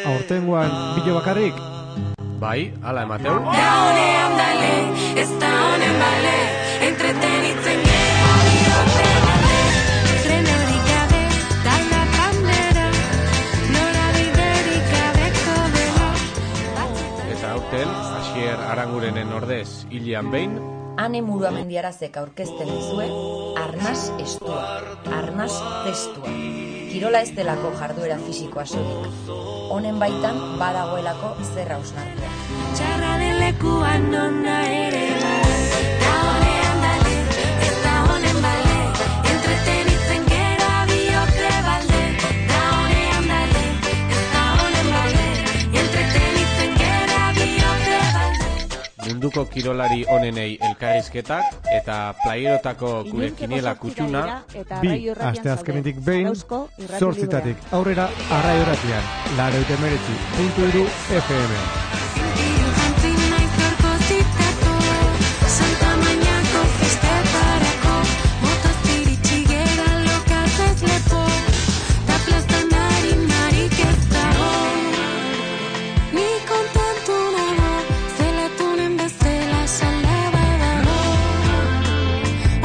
Aurtengoan bilo bakarrik? Bai, ala emateu. Da honean dale, ez da honen bale, entretenitzen gero bihotze bale. Trenerik gabe, talda bandera, norabiderik gabeko dela. Eta aurten, Asier Arangurenen ordez hilean behin, Ane Muruamendiarazek aurkezten dizue arnas estua, arnas testua. Kirola ez delako jarduera fisikoa soilik. Honen baitan badagoelako zer hausnartua. Txarra den lekuan nona ere bale, da honean dale, ez da honen bale, entretenitzen gero bihotze balde. Da honean dale, ez da honen bale, entretenitzen gero bihotze balde. munduko kirolari onenei elkarrizketak eta playerotako gure kiniela kutxuna, Bi asteazkenetik behin, 8:00 aurrera Arraio Irratian, 89.3 FM. Sentiru jantzi naiz gaurko zitako, Santa Mañako festetarako, motoztiritsi gera lokazez lepo, ta plazan harinarik ez dago. Ni kontentu nago, zelatunen bezala salaba dago.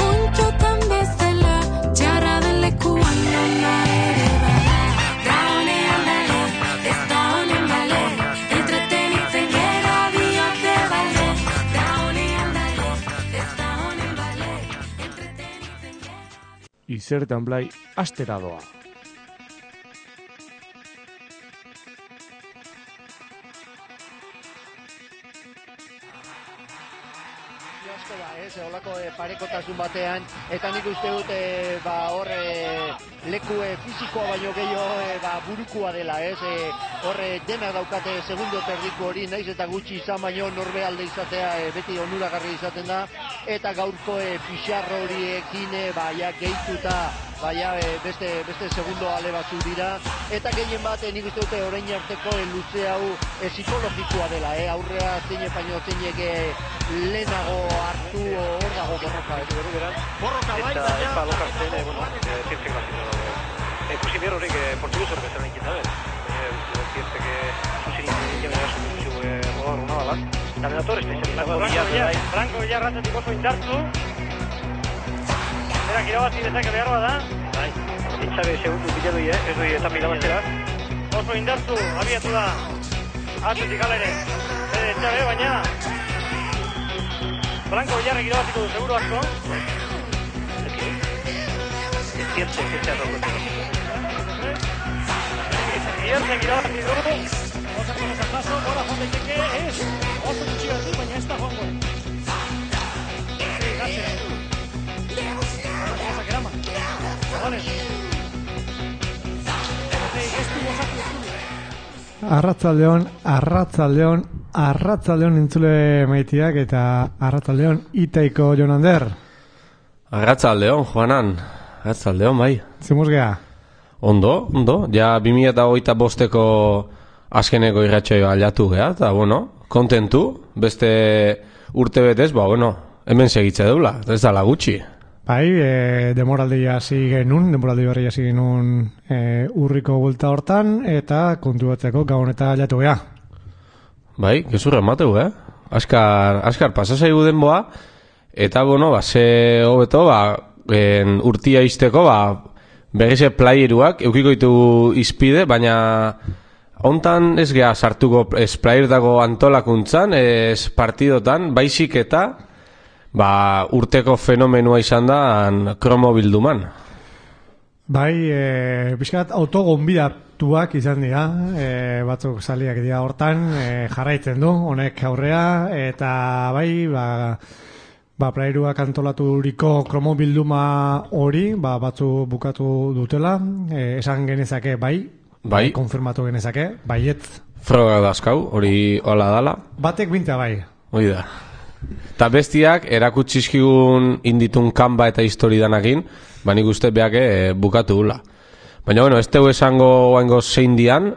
Ontxotan bezala, txarra den lekuan nona ere bada. Da honean dale, ez da honen bale, entretenitzen gero bihotze balde. Da honean dale, ez da honen bale, entretenitzen gero. Izertan blai astera doa. Asko da, holako parekotasun batean, eta nik uste dut hor leku fisikoa baino gehiago burukua dela, hor denak daukate segundo terdiku hori, naiz eta gutxi izan baino norbealde izatea beti onuragarri izaten da, eta gaurko pixarro horiekin ja gehituta beste segundo ale batzu dira, eta gehien bat nik uste dute orain arteko luze hau psikologikoa dela, aurrea zeinek baino zeinek lehenago hartu hor dago borroka, borroka bai, eta epa lokartzen, zientzek bat ikusi behar horrek portuguz horrek esan egin dabe. Zientzek zuzirik egin gara zuzirik rodar una bala. Terminator espezializatu. Franco Villarratzetik oso indartzu. Berak irabazi dezake behar bada. Bai, itxabe segundu biladu ez doi eta mirabaztera. Oso indartzu, abiatu da. Atzetik alere. Itxabe, baina Franco Villarrek irabaziko du seguru asko. Zientzek irabazi du. Osako paso, gora joan daiteke, oso gutxi bati, baina ez da joango. Arratzaldeon entzule maitiak eta arratzaldeon Itaiko Jonander. arratzaldeon, Juanan, arratzaldeon, bai. Zemuz geha? Ondo, ja 2025ko azkeneko irratxoa aldatu geha, eta kontentu, beste urte betez, hemen segitze deula, ez dala gutxi. Bai, demoraldi hasi berri hasi genuen urriko bulta hortan, eta kontu batzeko gabon eta aldatu geha. Bai, gezurra emateu, Askar pasasaigu denboa, eta ze hobeto, urtia izteko, berrize playeruak eukiko ditu izpide, baina hontan ez geha sartuko playerutako antolakuntzan, ez partidotan, baizik eta urteko fenomenua izan da kromo bilduman. Bai, pixkat autogonbidatuak izan dira, batzuk saliak dira hortan, jarraitzen du, honek aurrea, eta bai, playeruak antolaturiko kromo bilduma hori, batzu bukatu dutela, esan genezake bai, konfirmatu genezake, baiet. Froga dazkau, hori hola dala. Batek binta bai. Hoi da. Eta bestiak erakutsizkigun inditun kanba eta histori danakin, nik uste beak bukatu gula. Baina, ez tegu esango oango zein dian,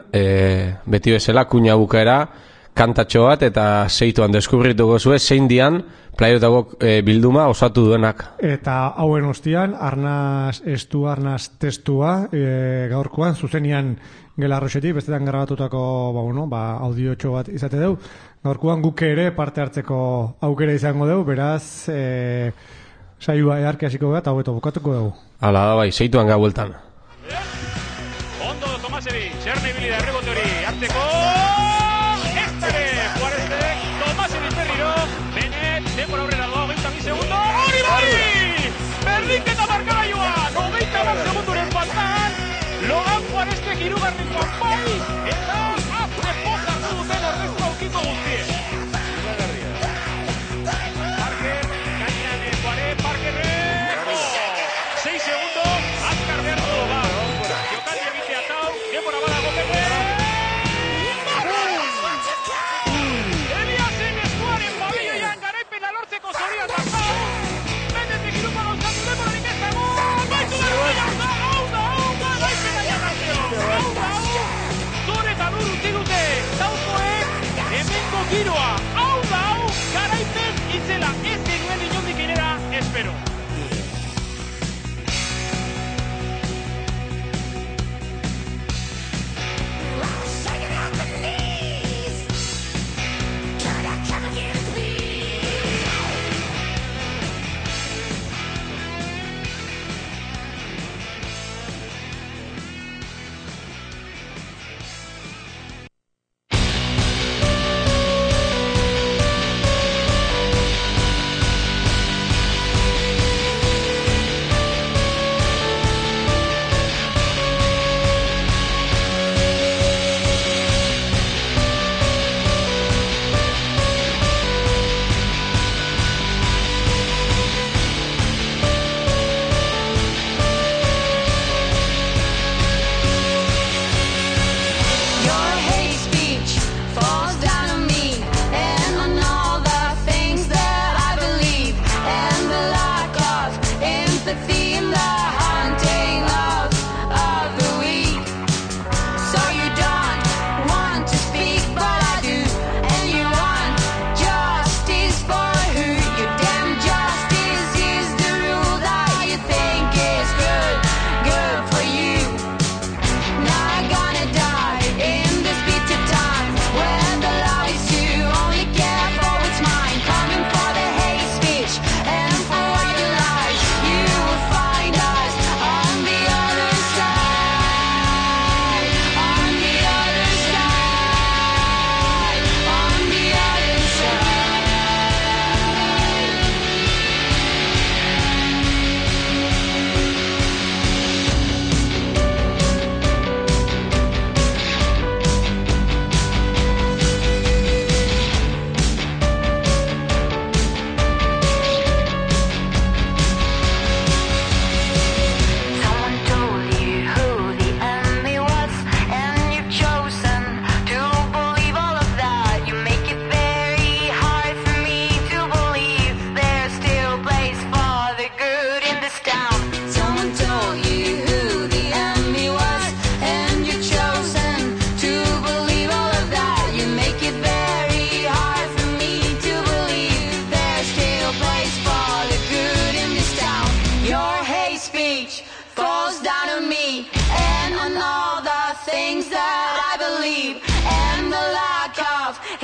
beti bezala, kuña bukaera, kantatxo bat eta zeituan deskubrituko zuen zein dian playerotako bilduma osatu duenak. Eta hauen ostian, arnaz estua, arnaz testua, gaurkoan, zuzenian Gelarroxetik, bestetan grabatutako audiotxo bat izate dugu. Gaurkoan guk ere parte hartzeko aukera izango dugu, beraz saioa earki hasiko gara eta hobeto bukatuko dugu. Hala da bai, seituan ga bueltan. Ondo Tomasevic, Txerne ibili da errebote hori hartzeko. Estare, Juarezek, Tomasevic berriro, Benet, denbora aurrera doa, 22 segundo, hori bai! Berdinketa markagailua, 90 segunduren faltan, Logan Juarezek hirugarrenkoan bai, eta azte poza hartu duten ordezko aukiko guztiek. Parker, gainean Juarez, Parkerrek, 6 segundo, azkar behar du ba. Jokaldi egitea tau, denbora badago Pepe. Eliasen eskuaren babilloian garaipena lortzeko zoria da tau. Benetek irupa gauzatu denborarik ez dago. Baitu da, hau da, garaipena jarrazio. Zure eta lur utzi dute, taukoek hemengo giroa. Hau da, garaipen itzela ez genuen inondik inera espero.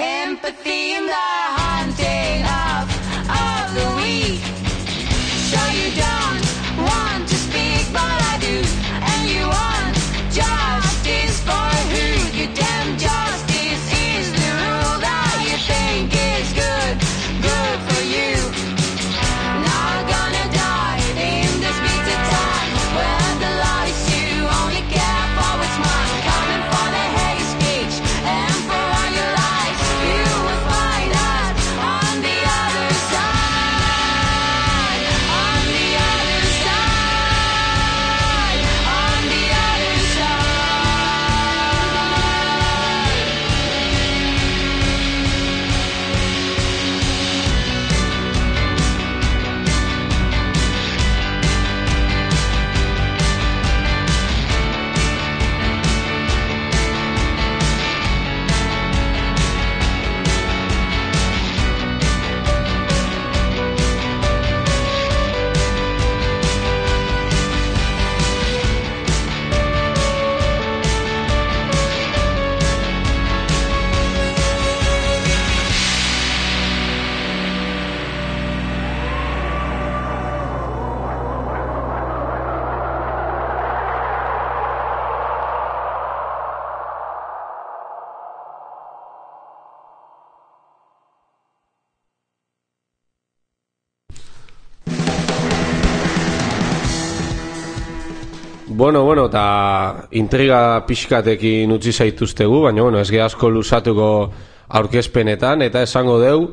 Empathy in the hunting of the weak. So you don't want to speak, but I do. And you want justice for who? Your damn justice is the rule that you think is good for you. Not gonna die in this bitter time when the lies you only care for what's mine. Coming for the hate speech and for all your lies. You will find us Bueno, eta intriga pixkatekin utzi zaituztegu, baina, ez ge asko lusatuko aurkezpenetan, eta esango deu,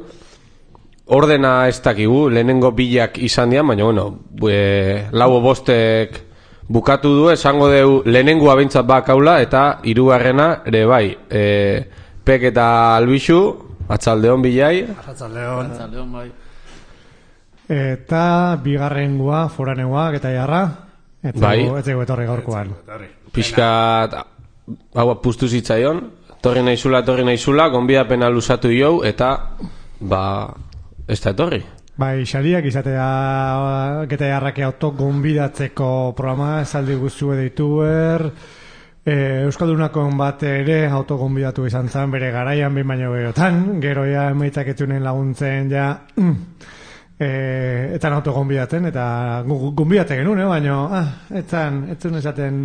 ordena ez dakigu, lehenengo bilak izan dian, baina, lau bostek bukatu du, esango deu, lehenengoa behintzat bakaula, eta hirugarrena ere bai, Pek eta Albixu, atzaldeon bilai. Atzaldeon bai. Eta bigarrengoa, foranegoa, eta jarra, etzego etorri gaurkoan. Piskat, hau puztu zitzaion, torri naizula, gonbidapena lusatu jau, eta, ez da etorri. Bai, xaliak izatea geta jarrake autogonbidatzeko programa esaldi guztue dituer, Euskaldunakon bat ere autogonbidatu izan zen bere garaian behin baino gerotan, gero ja emaitzak etzunen laguntzen ja etzan autogonbidatzen, eta gonbidatzen genuen, baino etzun esaten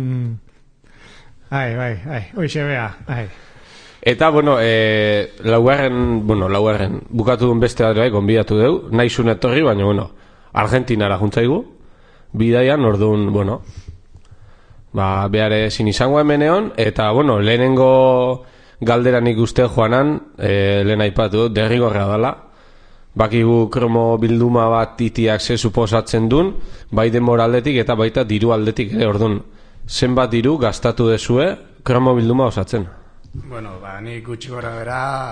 hoixe bea, Eta, laugarren bukatu duen beste bat bai, gonbidatu deu, naizun etorri, baina, Argentinara juntzaigu, bidaian, orduan, behar ezin izango hemeneon, eta, lehenengo galderan ikuste joanan, lehen aipatu, derrigorra dela, bakigu kromo bilduma bat itiak ze suposatzen duen, bai denbora aldetik eta baita diru aldetik ere, orduan, zenbat diru gastatu dezue kromo bilduma osatzen? Nik gutxi gora bera,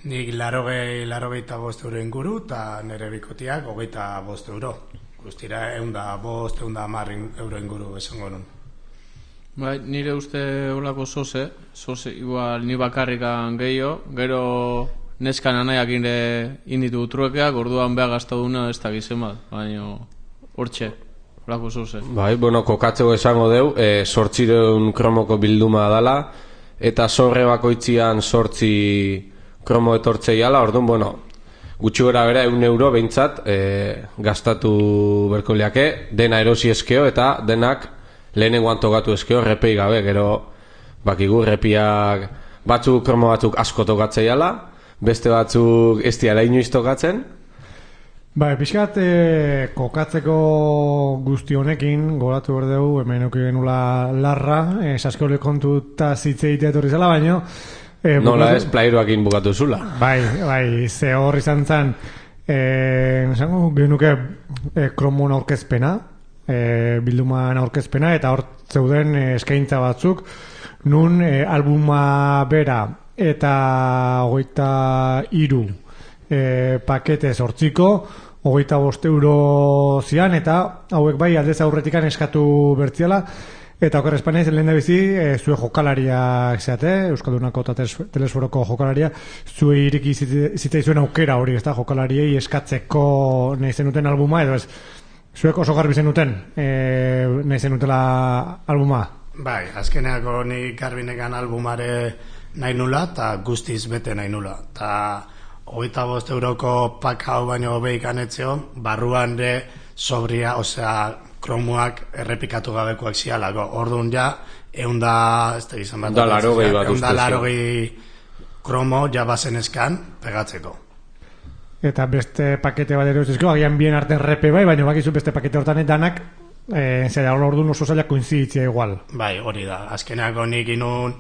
nik 85 euro inguru, eta nire bikotiak 25 euro. Guztira 110 euro inguru esango nun. Bai, nire uste olako zoze, igual ni bakarrikan gehiago, gero neskan anaiak inditu truekeak, orduan beha gaztaduna ez da gizen bat, baina hortxe, olako zoze. Bai, kokatzeko esango deu, 800 kromoko bilduma dala, eta sorre bakoitzian 8 kromo etortzei ala, orduan, gutxi gora bera 1 euro behintzat gastatu berko liake, dena erosi eskeo eta denak lehenengoan tokatu eskeo repei gabe, gero bakigu repiak batzuk kromo batzuk asko tokatzei ala, beste batzuk ez diala inoiz tokatzen. Pixkat kokatzeko guzti honekin gogoratu berdeu, hemen euki genula larra, saskiole kontuta zitzeite etorri zela, baino nola ez plairuakin bukatu zula. Bai, ze hor izan zen esango genuke kromon aurkezpena, bilduman aurkezpena, eta hor zeuden eskaintza batzuk, nun albuma bera eta 23 pakete 8ko 25 euro zian, eta hauek bai aldez aurretikan eskatu bertziala, eta oker espanez lehen da bizi zue jokalariak zeate, Euskaldunako eta Telesforoko jokalaria, zue iriki zitzaizuen aukera hori, ez da, jokalariei eskatzeko nahi zenuten albuma, edo ez, zuek oso garbi zenuten nahi zenutela albuma? Bai, azkeneako nik garbinekan albumare nahi nula, eta guztiz bete nahi nula, eta 25 euroko pak hau baino behikan etzion, barruan de sobria, osea, kromuak errepikatu gabekoak zialako. Orduan ja, 180 kromo ja bazen eskan pegatzeko. Eta beste pakete bat erosizko, agian bien arten repe bai, baina bakizu beste pakete hortan danak, zera orduan oso zailak koinziditzia igual. Bai, hori da. Azkeneako nik inun,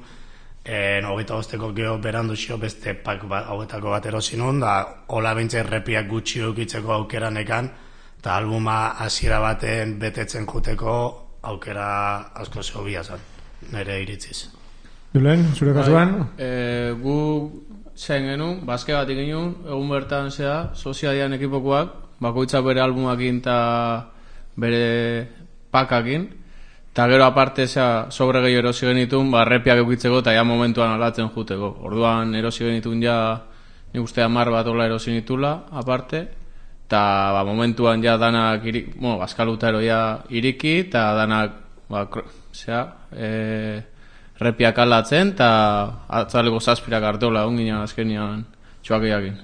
25ko geho berandu xio beste pak hauetako bat erosi nun, da hola bintze repiak gutxi eukitzeko aukeranekan, eta albuma hasiera baten betetzen juteko aukera asko zehobia zen, nire iritziz. Dulen, zure kasuan? Gu zen genuen, bazke bat ikinun, egun bertan zea, soziadian ekipokoak, bakoitzak bere albumakin eta bere pakakin, eta gero aparte sobre gehi erosi genitun, repiak eukitzeko eta ja momentuan alatzen juteko. Orduan erosi genitun ja, nik uste 10 bat ola erosi nitula, aparte, eta momentuan ja danak bazkaluta eroia iriki, eta danak repiak alatzen, eta atzaleko zazpirak artola ongina azkenian txuakiakin.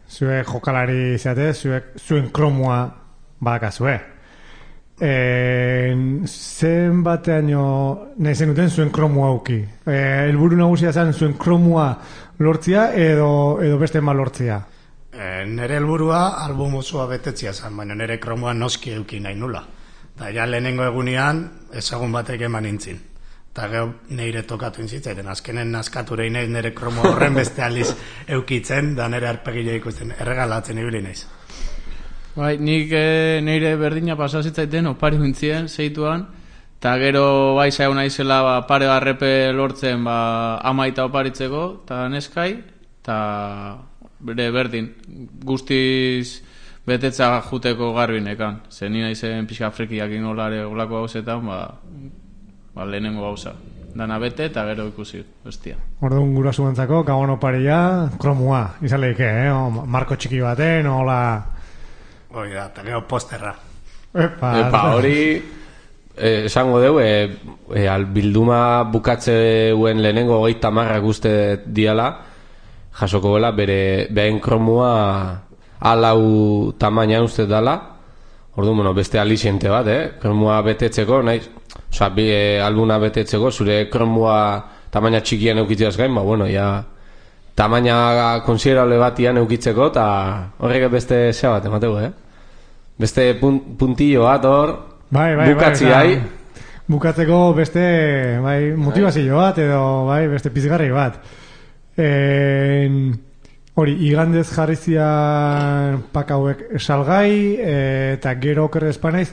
Zue jokalari izate, zuen kromua badakazue. Zen bateaino nahi zenuten zuen kromua auki. Helburu nagusia zen zuen kromua lortzia edo beste mal lortzia? Nere helburua album osoa betetzia zen, baina nere kromua noski euki nahi nula. Eta ja lehenengo egunean ezagun batek eman nintzin. Eta gero neire tokatu inzitzaiten, azkenen naskaturei naiz nire kromo horren beste aliz eukitzen, da nire arpegila ikusten, erregalatzen ibili naiz. Bai, nik neire berdina pasazitzaiten opari bintzien, zeituan, eta gero bai zaigu naizela pare barrepe lortzen amaita oparitzeko, eta neskai, eta bere berdin, guztiz betetza juteko garbinekan. Zer ni naizen pixka frikiak inolare olako gauzetan, lehenengo gauza. Dana bete eta gero ikusi, bestia. Orduan gurasoentzako gabon oparia, kromua, izan lehike, marko txiki baten, hola... Hoi da, eta gero posterra. Epa, hori... esango deu, bilduma bukatzeuen lehenengo 30 uste diala, jasoko bela, behen kromua alau tamainan uste dala, orduan, beste aliciente bat, kromua betetzeko, nahiz, oza, albuna betetzeko, zure kromua tamaina txikian eukitzeaz gain, tamaina konsiderable batian eukitzeko, eta horrek beste zea bat, emateu, beste puntillo bat hor, bukatziai. Bukatzeko beste motivazio bat, edo beste pizgarri bat. Hori, igandez jarrizia pak hauek salgai, eta gero okerre espanaiz,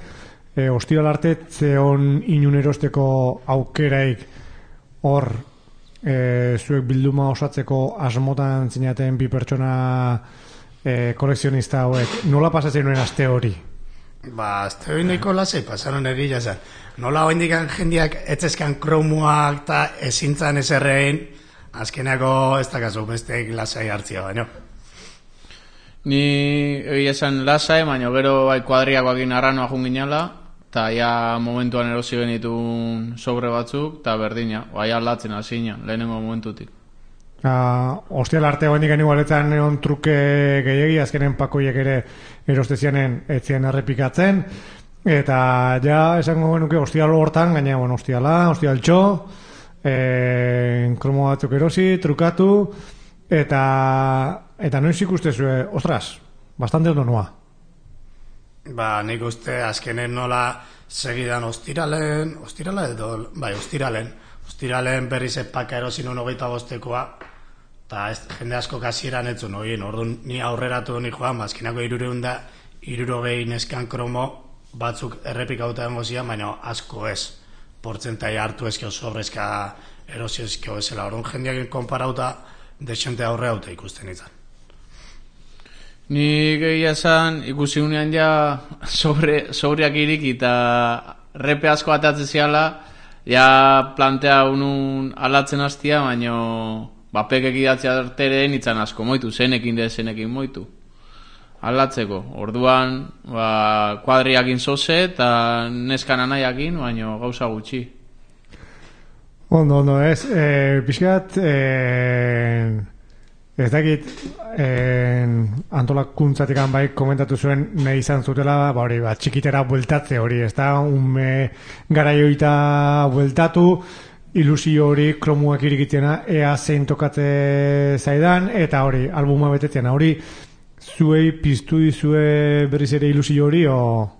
ostiral arte zeon inun erosteko aukeraik hor zuek bilduma osatzeko asmotan zinaten bi pertsona kolekzionista hauek. Nola pasatzen nuen aste hori? Aste hori nahiko lasai pasaron egila zen. Nola hoendikan jendiak etzeskan kromuak eta ezintzan eserrein, azkenako ez dakazu besteek lasai hartzia baino. Ni egia esan lasai, baina gero kuadriakoak inarranoa junginala, eta ja momentuan erosi genitun sobre batzuk, eta berdina, aldatzen hasina, lehenengo momentutik. Ostial arte hoendikan igualetan egon truke gehiagi, azkenen pakoiek ere erostezianen etzien errepikatzen, eta ja esango genuke ostial hortan, gaina ostialtxo, kromo batzuk erosi, trukatu, eta noiz ikustezue, ostras, bastante ondo noa. Nik uste azkenen nola segidan ostiralen berriz epaka erosin 25koa, eta jende asko kasieran etzun hogin, orduan ni aurreratu ni joan, azkenako 360 neskan kromo batzuk errepikauta dengo zian, baina asko ez, portzentai hartu ezkio sobrezka erosi ezkio ezela, orduan jendeak konparauta desente aurre hauta ikusten izan. Ni gehiago esan ikusi unean ja sobreak iriki eta repe asko atatzen ziala, ja plantea unun alatzen hastia, baina bapekek idatzea arteren itzan asko moitu, zenekin moitu. Alatzeko, orduan kuadriakin zoze eta neskan anaiakin, baina gauza gutxi. Ondo, ez, pixkat, ez dakit, antolakuntzatik komentatu zuen nahi izan zutela, txikitera bueltatze hori, ez da, garaioita bueltatu, ilusio hori kromuak irikitzena, ea zein tokatze zaidan, eta hori, albuma betetzen, hori, zuei piztu dizue berriz ere ilusio hori, o...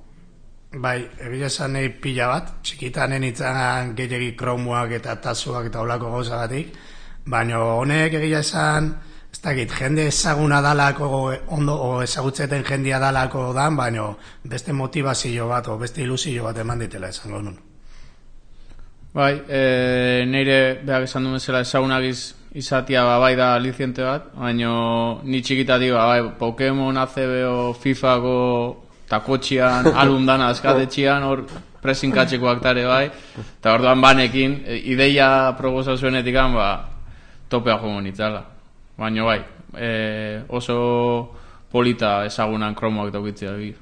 Bai, egia esan nahi pila bat, txikitanen itzan gehiagi kromuak eta tasuak eta olako gauzagatik, baina honek egia esan, ez dakit, jende ezaguna dalako, ondo ezagutzeten jendia dalako dan, baina beste motivazio bat, o beste ilusio bat eman ditela esango nun. Bai, neire behak esan duen zela ezagunagiz izatia bai da aliciente bat, baina ni txikitatik Pokemon, ACB, FIFako eta kotxian alundana azkatetxian hor presinkatxeko aktare bai, eta orduan banekin ideia proposa zuenetik topea jongo nitzala. Baina bai, oso polita ezagunan kromoak daukitzea egi.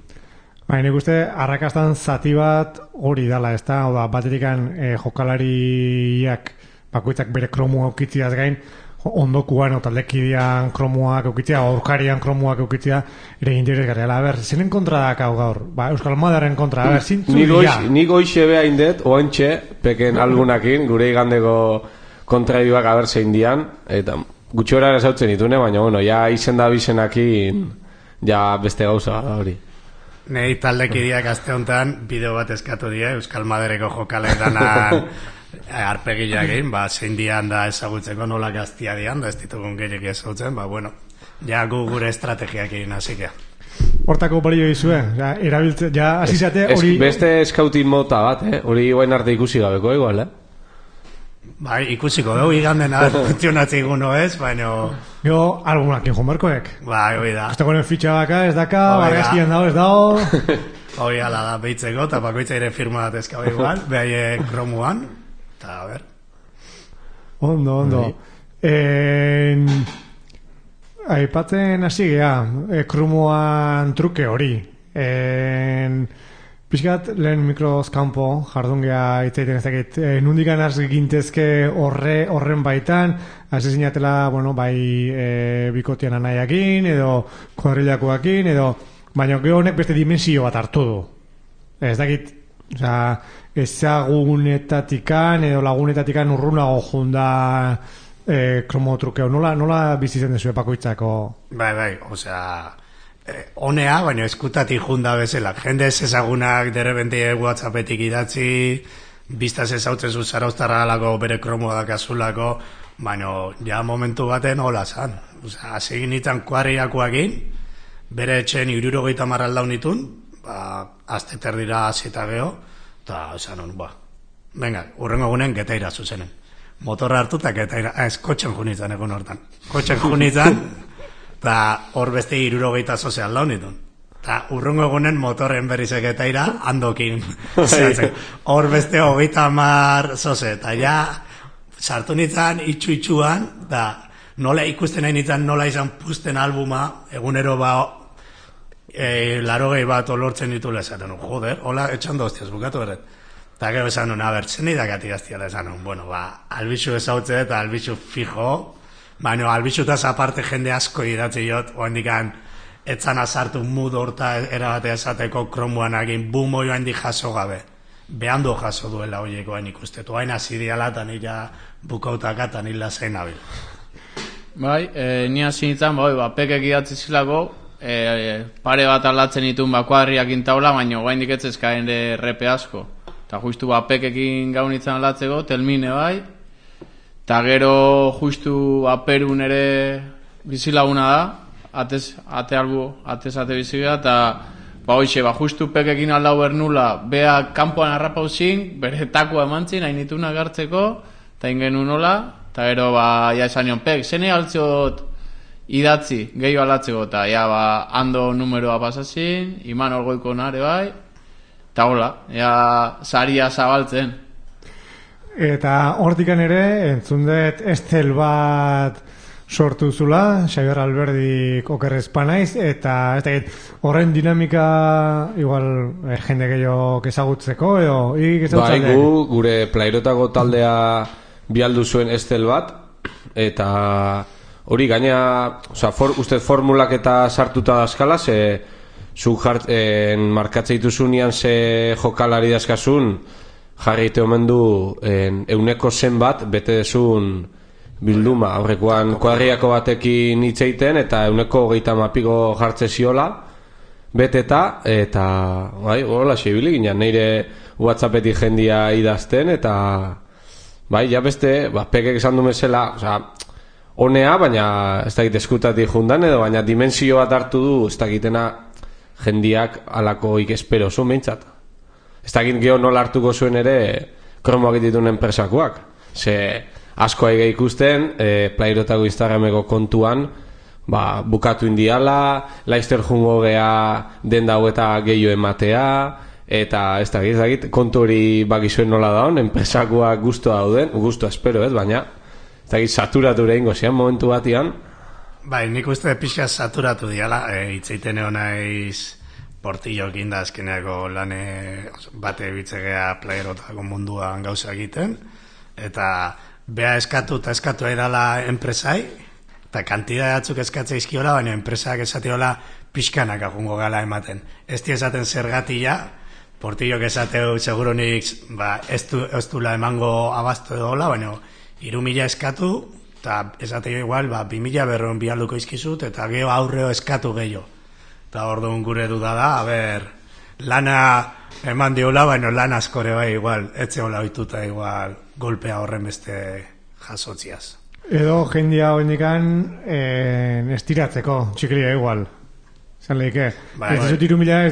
Nik uste, arrakastan zati bat hori dala, ez da, batetikan jokalariak bakoitzak bere kromua eukitziaz gain, ondokuan, taldekidean kromuak eukitzea, aurkarian kromuak eukitzea, ere interesgarria. Zenen kontra dakau gaur? Euskal Madaren kontra, zintzu dira? Nik goixe beha indet, oantxe, peken algunakin, gure igandeko kontraibioak zein dian, eta gutxo horara zautzen ditune, baina, ja izen da bizenakin, ja beste gauza hori. Nei taldekideak aste honetan bideo bat eskatu die Euskal Madereko jokaleetanan arpegiak egin, zein dian da ezagutzeko nola gaztia dian, da ez ditugun gehiak ezagutzen, bueno, ja gure estrategiak egin hasik. Hortako balio izue, erabiltze, asizate hori... Beste eskautin mota bat, hori guain arte ikusi gabeko, igual, Bai, ikusiko dugu iganden funtzionatzen guno ez, baina... Jo, algunakin jomarkoek. Bai, hoi da. Este gonen fitxa baka, ez daka, bargazkian dago, ez dago... Hoi ala da, behitzeko, eta bakoitza ere firma bat eskau igual, behai kromuan, eta a ber. Ondo. Aipatzen hasi gea, kromuan truke hori. Piskat, lehen mikroz kanpo jardun geha itzaiten ez dakit. Nundikan hasi gintezke horren baitan, hasi zinatela, bikotian anaiakin, edo kuadrilakoakin, edo... Baina gero honek beste dimensio bat hartu du. Ez dakit, ezagunetatikan edo lagunetatikan urrunago junda kromotrukeo. Nola bizitzen dezu epakoitzako? Bai, honea, baina eskutatik junda bezala. Jende ez ezagunak derebente WhatsAppetik idatzi, biztaz ezautzen zu zarauztarra alako bere kromoa dakazulako, baina ja momentu baten hola zan. Hasi ginitzen kuadriakoakin, bere etxen 70 aldaun itun, azte terdira azita geho, eta esan hon, venga, urrengo gunen getaira zuzenen. Motorra hartu eta getaira, kotxen junitzen egun hortan. Kotxen junitzen, eta hor beste 70 zoze aldaun itun. Eta urrengo egunen motorren berrizek getaira, handokin. Hor beste 30 zoze, eta ja, sartu nintzen, itxuan, eta nola ikusten nahi nintzen, nola izan puzten albuma, egunero 80 bat olortzen ditula esaten, joder, hola etxando hostiaz bukatu berret. Eta gero esan nun, zen idakati gaztiala esan nun, albixu ezautze eta albixu fijo, baina albixutaz aparte jende asko idatzi jot, oendikan etzan azartu mood horta erabatea esateko kromuan egin, bumo joan di jaso gabe. Behandu jaso duela hoiekoen ikustetu, hain azidiala eta nila bukautaka eta nila zein abil. Bai, ni hasi nintzen, pekek idatzi zilako, pare bat aldatzen ditun kuadriak intaula, baina guain diketzezkaen repe asko. Eta justu pekekin gau nintzen aldatzeko, telmine bai, eta gero justu Perun ere bizilaguna da, atez bizigea, eta justu pekekin aldau bernula, bea kanpoan harrapauzin, bere takua emantzin, hain nitunak hartzeko, eta ingenu nola, eta gero ja esan nion, zene altzot idatzi, gehiago aldatzeko, eta ando numeroa pasazin, iman orgoiko nare bai, eta hola, saria zabaltzen. Eta hortikan ere, entzundet estel bat sortu zula, Xabier Alberdik okerrezpanaiz, eta horren dinamika igual jende gehiago ezagutzeko, edo bai, gure plairotako taldea bialdu zuen estel bat, eta hori gaina, uste formulak eta sartuta dazkala, zu markatze dituzunian ze jokalari dazkasun, jarri ite omen du euneko zen bat bete dezun bilduma, aurrekoan kuadriako batekin hitzeiten eta euneko 30 jartze ziola beteta, eta hola xebili ginen, neire WhatsAppetik jendia idazten, eta ja beste, pekek esan du mesela, honea, baina ez dakit eskutatik jundan, edo baina dimensio bat hartu du, ez dakitena jendiak alako ikespero zuen behintzat. Ez dakit geho nola hartuko zuen ere kromoak ditun enpresakoak. Ze asko aige ikusten, plairotako Instagrameko kontuan, bukatu indiala, Leicester jungo geha den dago eta gehiago ematea, eta ez dakit, kontu hori bakizuen nola daun, enpresakoak guztua dauden, guztua espero baina ez dakit saturatu ere ingo zian momentu batian. Bai, nik uste pixa saturatu diala, itzeiten egon naiz Portillokin da azkeneako lane bate bitzegea playerotako munduan gauza egiten, eta beha eskatu eta eskatu edala enpresai, eta kantidade batzuk eskatzea izkiola, baina enpresak esatiola pixkanak agungo gala ematen. Ez di esaten zergatia, Portillok esateu seguronik ez dula emango abasto edola, baina 3.000 eskatu, eta esateo igual 2.000 berron bialduko izkizut, eta geho aurreo eskatu gehiago. Eta orduan gure duda da, lana eman diola, baina lan askore bai igual, etxe hola oituta igual golpea horren beste jasotziaz. Edo jendia hoendikan estiratzeko, txikiria igual. Zan lehike. Ez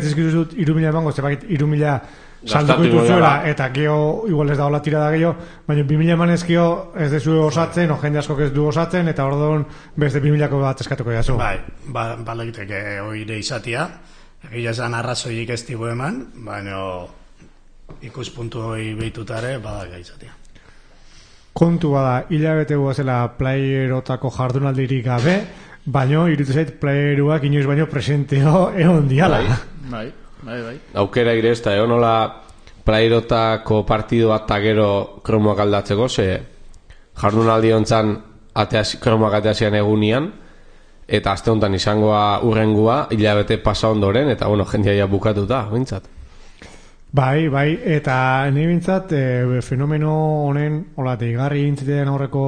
dizut 3.000 emango, zebakit 3.000 salduko dituzuela, eta geho igual ez da hola tirada gehiago, baina 2.000 emanezkio ez dezu osatzen, o jende asko ez du osatzen, eta orduan beste 2.000ko bat eskatuko jazu. Bai, balagiteke oire izatia, egia esan arrazoiik ez digu eman, baina ikuspuntu hori behitutare badaga izatia. Kontu bada, hilabete guazela playerotako jardunaldirik gabe, baino, irutu zait, playeruak inoiz baino presenteo egon diala. Bai. Aukera ire ez da, nola playerotako partidu bat gero kromoak aldatzeko, ze jardunaldi hontzan kromoak ateazian egunian, eta aste honetan izangoa urrengua, hilabete pasa ondoren, eta jendia ja bukatuta, bintzat. Bai, eta nahi bintzat, fenomeno honen, hola, deigarri intzitean aurreko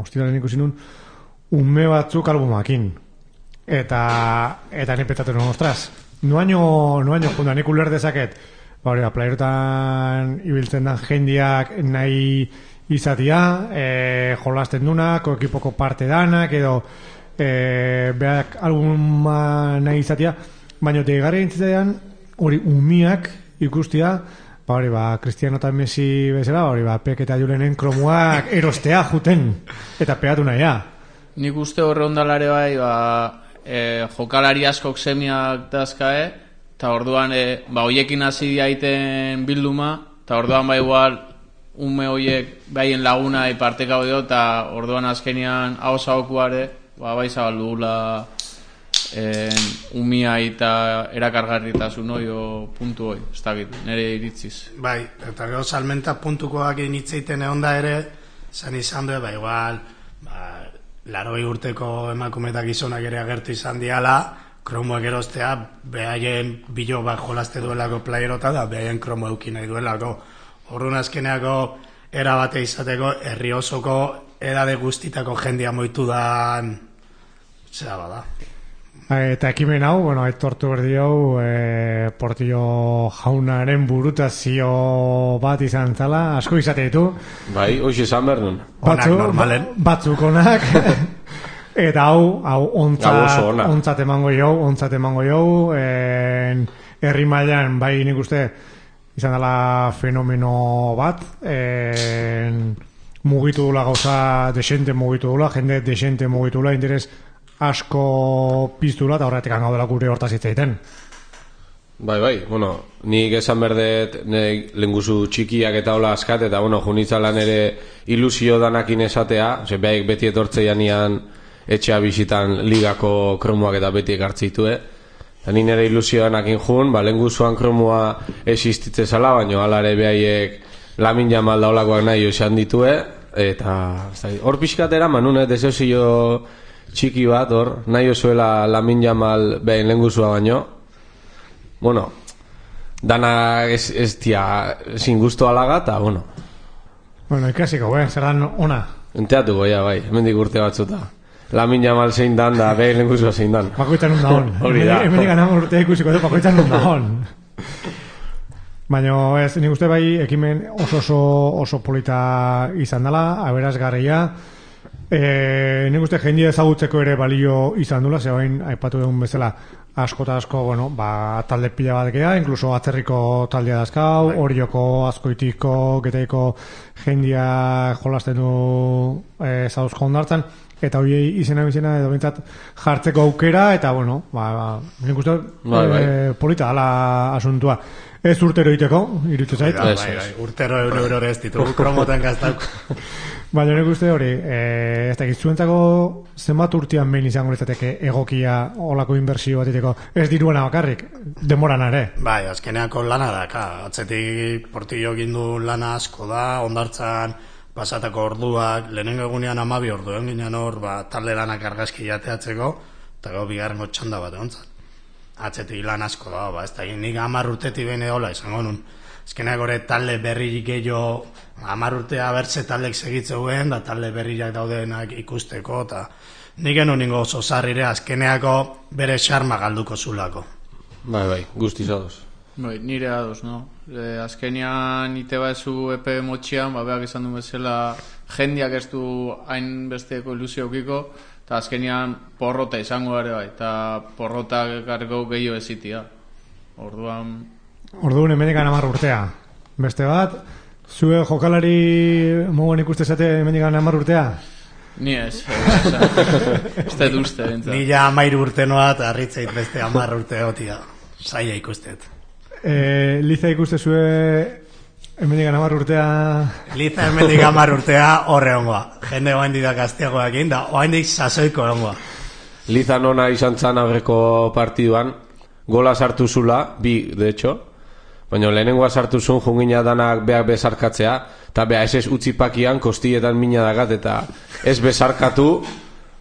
hostilaren ikusi nun, unme batzuk albumakin. Eta nahi petatu non, ostras, noaino jundan, nik uler dezaket, playerotan ibiltzen da jendiak nahi izatia, jolasten dunak, ekipoko parte danak, edo beak albuma nahi izatia, baina deigarri intzitean, hori umiak ikustia, Cristiano eta Messi bezala, Pek eta Julenen kromoak erostea juten, eta pegatu nahia. Nik uste horre ondalare bai, jokalari askok semiak dazkae, eta orduan, hoiekin hasi diaiten bilduma, eta orduan igual, ume hoiek baien laguna iparteka dio, eta orduan azkenian hausagokuare, bai zabaldugula umia eta erakargarritasun hoi o puntu hoi, ez dakit, nire iritziz. Bai, eta gero salmenta puntukoak initzeiten egon da ere, zan izan du, igual, 80 urteko emakumetak gizonak ere agertu izan diala, kromoak erostea, behaien bilo bat jolaste duelako playerota da, behaien kromo eukin nahi duelako. Horrun azkeneako erabate izateko, herri osoko edade guztitako jendia moitu dan, zera bada. Eta ekimen hau, aitortu berdi hau, Portillo jaunaren burutazio bat izan zala, asko izate ditu. Bai, hoxe izan behar nun. Batzuk onak. Eta hau ontzat emango jau, herri mailan, bai nik uste, izan dela fenomeno bat, mugitu dula gauza, desente mugitu dula, jende desente mugitu dula, interes asko piztula eta horretik gaudela gure hortaz hitzaiten. Bai, nik esan berdet lenguzu txikiak eta hola askat, eta junitzalan ere ilusio danakin esatea, behaik beti etortzeian etxea bisitan ligako kromoak eta beti ekartzitue, eta nire ere ilusio danakin jun, lenguzuan kromoa existitze zala, baina alare behaiek Lamin Jamal daulakoak nahi esan ditue, eta hor pixkatera manune deseozio txiki bat, nahi osuela Lamin Jamal behin lenguzua baino. Dana ez tia sin gusto alaga, eta, ikasiko, zer dan ona. Enteatuko, bai, hemendik urte batzuta. Lamin Jamal zein dan, da behin lenguzua zein dan. Bakoitzan nun da hon. Hori da. Hemendik anamor urtea ikusiko du, bakoitzan nun da hon. Baina, nik uste bai, ekimen oso polita izan dela, aberazgarria. Nik uste jendia ezagutzeko ere balio izan dula, zebain aipatu dugun bezala asko eta asko, talde pila bat gea, inkluso atzerriko taldea dazkau, Orioko, Azkoitiko, Getaiko jendia jolasten du zauzko ondartzan, eta horiei izena edo bintzat jartzeko aukera, eta nik uste polita dala asuntua. Ez urtero iteko, irutu zait. Urtero euro ez ditugu kromoten gaztauk. Baina nik uste hori, ez da gizuentzako zenbat urtean behin izango litzateke egokia olako inbertsio bat iteko, ez diruena bakarrik, demoran ere. Bai, azkeneako lana da, atzetik Portillo gindu lana asko da, ondartzan pasatako orduak, lehenengo egunean 12 ordu, ginen hor, talde lanak argazki jateatzeko, eta gau bigarrengo txanda bat egontzat. Atzetik lan asko da, ez da, nik 10 urtetik bene hola izango nun. Ezkeneak gore talde berririk gehiago 10 urtea bertze taldek segitzeuen, da talde berriak daudenak ikusteko, eta nik genuen ningo oso zarrire azkeneako bere xarma galduko zulako. Bai, guztiz ados. Bai, nire ados, no? Azkenean ite baezu epe motxian, beak izan du bezala jendiak ez du hain besteko ilusio eukiko, eta azkenean porrota izango ere bai, eta porrotak garko gehiago ezitia. Orduan hemendikan 10 urtea. Beste bat, zue jokalari moguan ikuste zate hemendikan 10 urtea? Ni ez dut uste. Ni ja 13 urte noa eta harritzeit beste 10 urte gotia. Zaila ikustet. Liza ikuste zue hemendikan 10 urtea? Liza hemendikan 10 urtea horre ongoa. Jende oain didak azteagoakin, da oain dik sasoiko ongoa. Liza nona izan zan aurreko partiduan, gola sartu zula, 2, de hecho, baina lehenengoa sartu zuen jungina danak beak bezarkatzea, eta beha ez utzipakian kostilletan mina dagat, eta ez bezarkatu,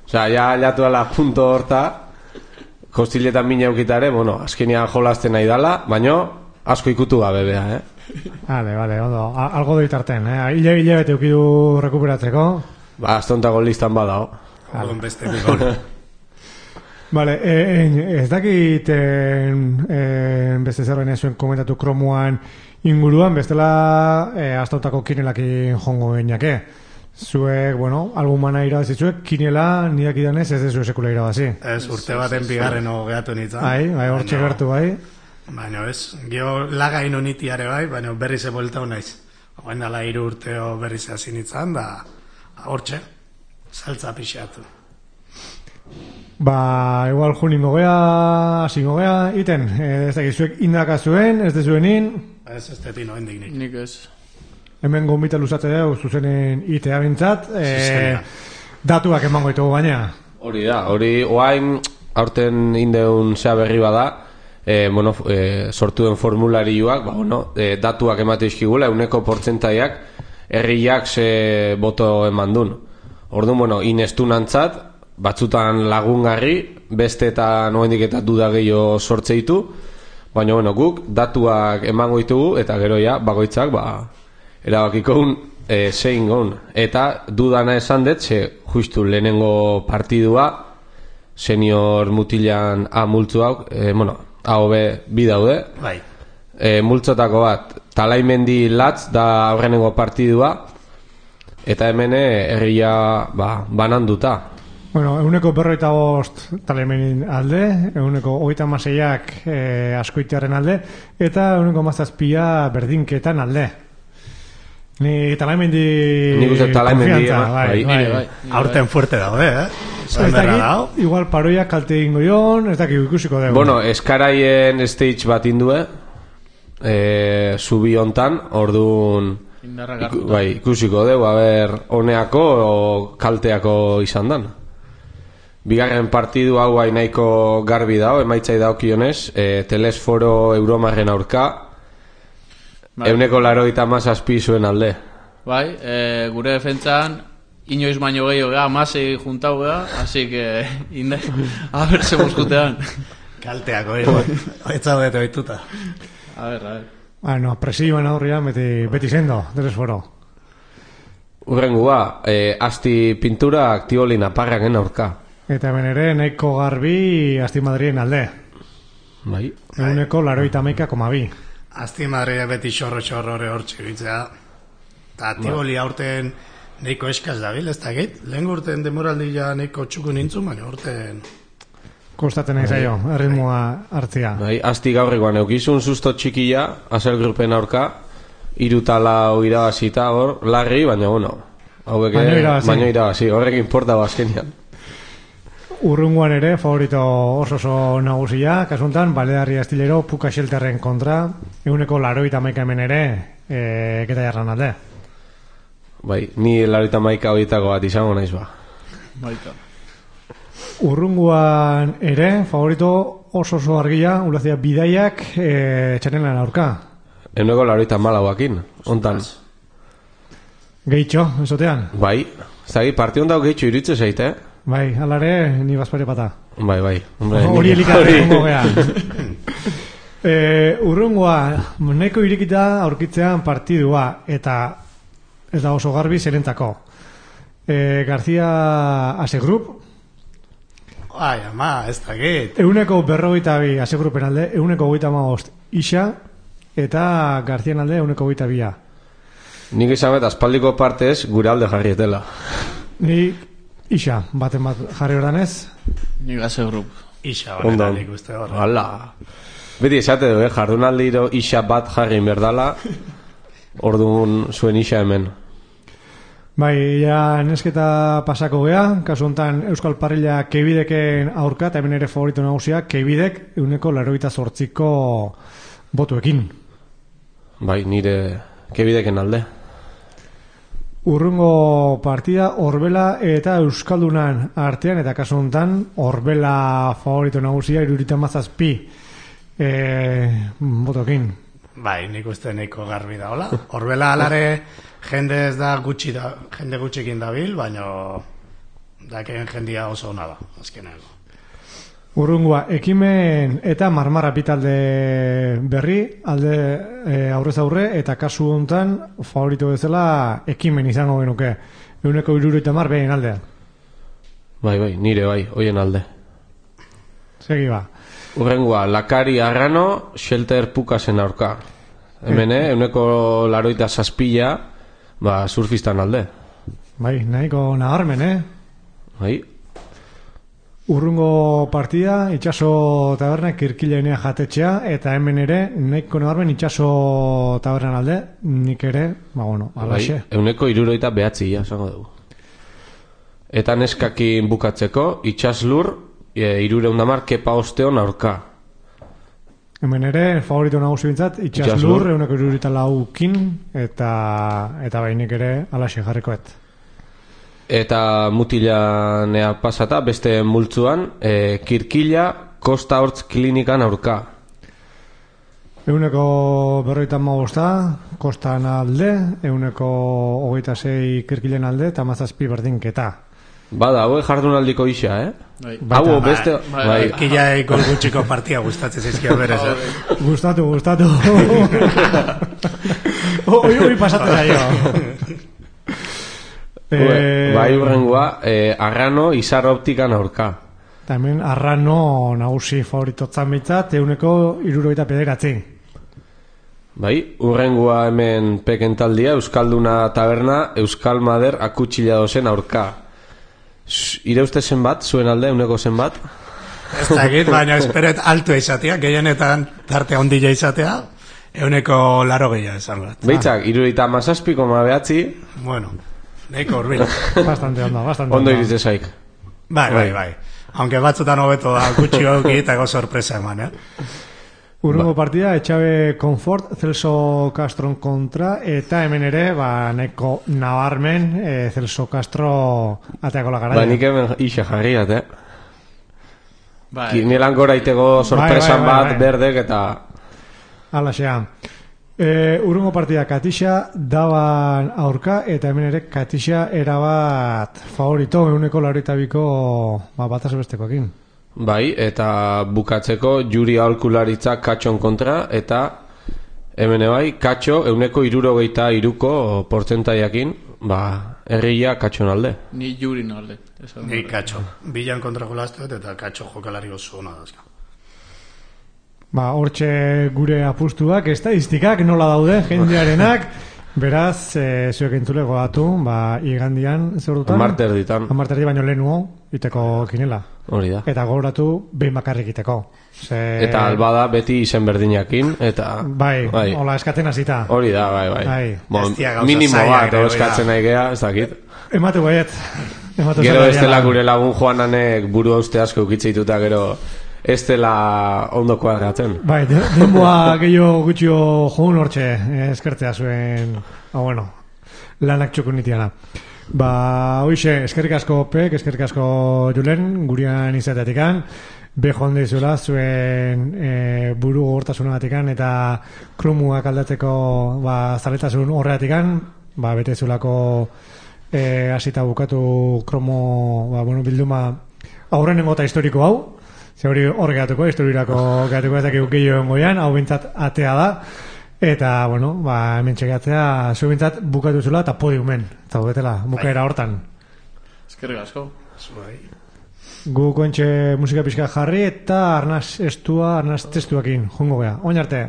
osea, ja alatu ala punto horta, kostilletan mina eukitare, bueno, azkenean jolazten nahi dala, baina asko ikutu gabe beha, Vale, ondo, algo doitarten, hile bete eukidu rekuperatzeko. Aztontako listan badao. Algon beste bigol. Vale, ez dakit beste zerbait zuen komentatu kromuan inguruan, bestela astontako kinelakin jongo geinake. Zuek, bueno, albumana irabazizuek, kinela nidak idanez ez dezu sekula irabazi. Ez, urte baten bigarren gehiatu nintzen. Bai, hortxe gertu bai. Baina ez, gio laga inonitiare bai, baina berriz eboltau naiz. Oain dala 3 urteo berriz hasi nintzen, da hortxe, saltza pixatu. Igual juningo gea, asingo gea, iten, ez dakit, zuek indaka zuen, ez dezuenin? Ez tetino hendik nik. Nik ez. Hemen gombita luzate dugu zuzenen itea bintzat, datuak emango ditugu gaina. Hori da, oain aurten indeun zea berri bada, sortuen formularioak, datuak emate izkigula, 100%iak herriak ze boto eman dun. Orduan, inestunantzat, batzutan lagungarri, beste eta noendik eta duda gehiago sortze ditu, baina guk datuak emango ditugu eta gero ja bakoitzak erabakiko zein gon. Eta dudana esan dut, justu lehenengo partidua senior mutilan A multzu hau, AOB bi daude. Bai. Multzotako bat, Talaimendi Latz da aurrenengo partidua, eta hemen herria bananduta. Bueno, 145 Talaimenin alde, 136ak Askoitiarren alde, eta 117 Berdinketan alde. Ni Talaimendi... Nik uste Talaimendi... Bai. Aurten fuerte daude, Ez dakit, igual paroiak kalte ingo joan, ez dakit ikusiko dugu. Bueno, eskaraien stage bat indue, zubi hontan, orduan... Ikusiko dugu, honeako o kalteako izan dan. Bigarren partidu hau nahiko garbi dao, emaitzai daukionez, Telesforo Euromarren aurka, 187 zuen alde. Bai, gure defentzan inoiz baino gehiago gea, masei juntau gea, así que a ver se moskutean. Kalteako, etzaudete oituta. A ver. Bueno, presioan aurrian beti sendo, Telesforo. Urrengua, asti pintura aktibolina parraken aurka. Eta hemen ere, nahiko garbi Asti Madrien alde. Bai. 191,2. Asti Madria beti xorro hortxe bitzea. Eta Tiboli aurten nahiko eskaz dabil, ez dakit. Lehen urten demoraldi ja nahiko txuku nintzun, baina urten... Kostaten nahi zaio, erritmoa hartzia. Bai, asti gaurrekoan eukizun susto txikia, Azel Grupen aurka, 3-4 irabazita hor, larri, baina baino irabazi, horrek importa bazkenian. Urrunguan ere, favorito oso nagusia, kasuntan, Balearri Astillero, Puka Shelterren kontra, 181 hemen ere, keta jarran alde. Bai, ni 81 horietako bat izango naiz ba. Baita. Urrunguan ere, favorito oso argia, ulazia bidaiak txanelan aurka. 184akin, ontan. Gehitxo, esotean? Bai, zagi, partion dago gehitxo iritze zaite, Bai, alare, ni bazpare pata. Bai. Hori elikaren gongo geha. Urrungoa, nahiko irikita aurkitzean partidua, eta ez da oso garbi zerentzako. García Asegrup, Ai, ama, ez dakit. 122 asegrupen alde, 135 Ixa, eta Garzian alde 122. Nik izan bet, aspaldiko partez gure alde jarrietela. Ni Ixa, baten bat jarri ordan ez? Nik asegrup. Ixa Ondo. honetan ikuste hor. Hala. Beti esate du, jardunaldiro Ixa bat jarri berdala, orduan zuen Ixa hemen. Bai, ja nesketa pasako gea, kasu honetan Euskal Parrilla Keibideken aurka, eta hemen ere favorito nagusia, Keibidek 188ko botuekin. Bai, nire Kebideken alde. Urrungo partida Orbela eta Euskaldunan artean, eta kasu honetan Orbela favorito nagusia 77 botokin. Bai, nik uste nahiko garbi da, hola? Orbela alare jende ez da gutxi da, jende gutxikin dabil, baina dakeen jendia oso ona da, azkenean. Urrungoa, Ekimen eta Marmarra bitalde berri, alde aurrez aurre, eta kasu honetan favorito bezala Ekimen izango genuke. 170 behin aldean. Bai, nire bai, hoien alde. Segi ba. Urrengoa, Lakari Arrano, Shelter Pukasen aurka. Hemen, 187 surfistan alde. Bai, nahiko nabarmen, Bai. Urrungo partida, Itxaso Taberna Kirkilenea jatetxea, eta hemen ere, nahiko nabarmen Itxaso Tabernan alde, nik ere, alaxe. Bai, 169 esango dugu. Eta neskakin bukatzeko, Itxaslur, 310 Kepa Osteon aurka. Hemen ere, favorito nagusi bintzat, Itxaslur, 174kin, eta bainik ere, alaxe jarrikoet. Eta mutilanea pasata, beste multzuan, Kirkila, Kosta Hortz klinikan aurka. 155 Kostan alde, 126 Kirkilen alde, eta 17 berdinketa. Bada, hau jardunaldiko Ixa, Bai. Hau beste... Bai. Kirkilaei gol gutxiko partia gustatzen zaizkio berez, Gustatu. Hoi pasatzen zaio. Bai, urrengoa, Arrano, Izar Optikan aurka. Eta hemen Arrano nagusi favoritotzan behitzat, 169. Bai, urrengoa hemen pekentaldia, Euskalduna Taberna, Euskal Mader Akutxila dozen aurka. Ire uste zenbat, zuen alde, 100 zenbat? Ez dakit, baina esperet altua izatea, gehienetan tarte ondila izatea, 180 esan bat. Beitzak, 37,9. Bueno, nahiko urbil. Bastante ondo. Ondo iritze zaik. Bai. Aunque batzutan hobeto da, gutxi hauki eta go sorpresa eman, Urrungo partida, Etxabe Comfort, Celso Castron kontra, eta hemen ere, nahiko nabarmen, Celso Castro ateako lagaraia. Nik hemen Ixa jarriat, Bai. Kinelan gora itego sorpresan bat, berdek eta... Alaxea. Urrungo partida, Katixa daban aurka, eta hemen ere Katixa erabat favorito, 182ko bataz bestekoekin. Bai, eta bukatzeko Juri aholkularitza Katxon kontra, eta hemen bai, Katxo 163ko portzentaiakin, herria Katxon alde. Ni Jurin alde. Ni Katxo. Bilan kontra jolaztuet eta Katxo jokalari oso hona dazka. Hortxe gure apustuak, estadistikak nola daude, jendearenak, beraz, zuek entzule goatu, igandian, zer dutan? Amarterdi baino lehenuo, iteko kinela. Hori da. Eta gogoratu behin bakarrik iteko. Eta albada beti izen berdinakin, eta... Bai, hola eskatzen hasita. Hori da, bai. Minimo bat, eskatzen nahi gea, ez dakit. Ematu baiet. Gero ez dela gure lagun Joananek buru hauste asko ukitzeituta, gero ez dela ondoko agarratzen. Bai, denboa gehiago gutxio joan hortxe, eskertzea zuen, lanak txukun nitiana. Hoixe, eskerrik asko Pek, eskerrik asko Julen, gurian izateatikan, joan deizuela zuen buru gogortasunagatikan eta kromuak aldatzeko zaletasun horreatikan, betezulako hasita bukatu kromo bilduma aurrenengo eta historiko hau, ze hori hor gehatuko, historiako gehatuko ez dakik gehiago goian, hau bintzat atea da. Eta, hemen txegatzea, zu bintzat bukatu zula eta podiumen. Eta betela, bukaera hortan. Eskerrik asko. Gu kontxe musika pixka jarri eta arnaz testuakin, jongo gea. Oin arte.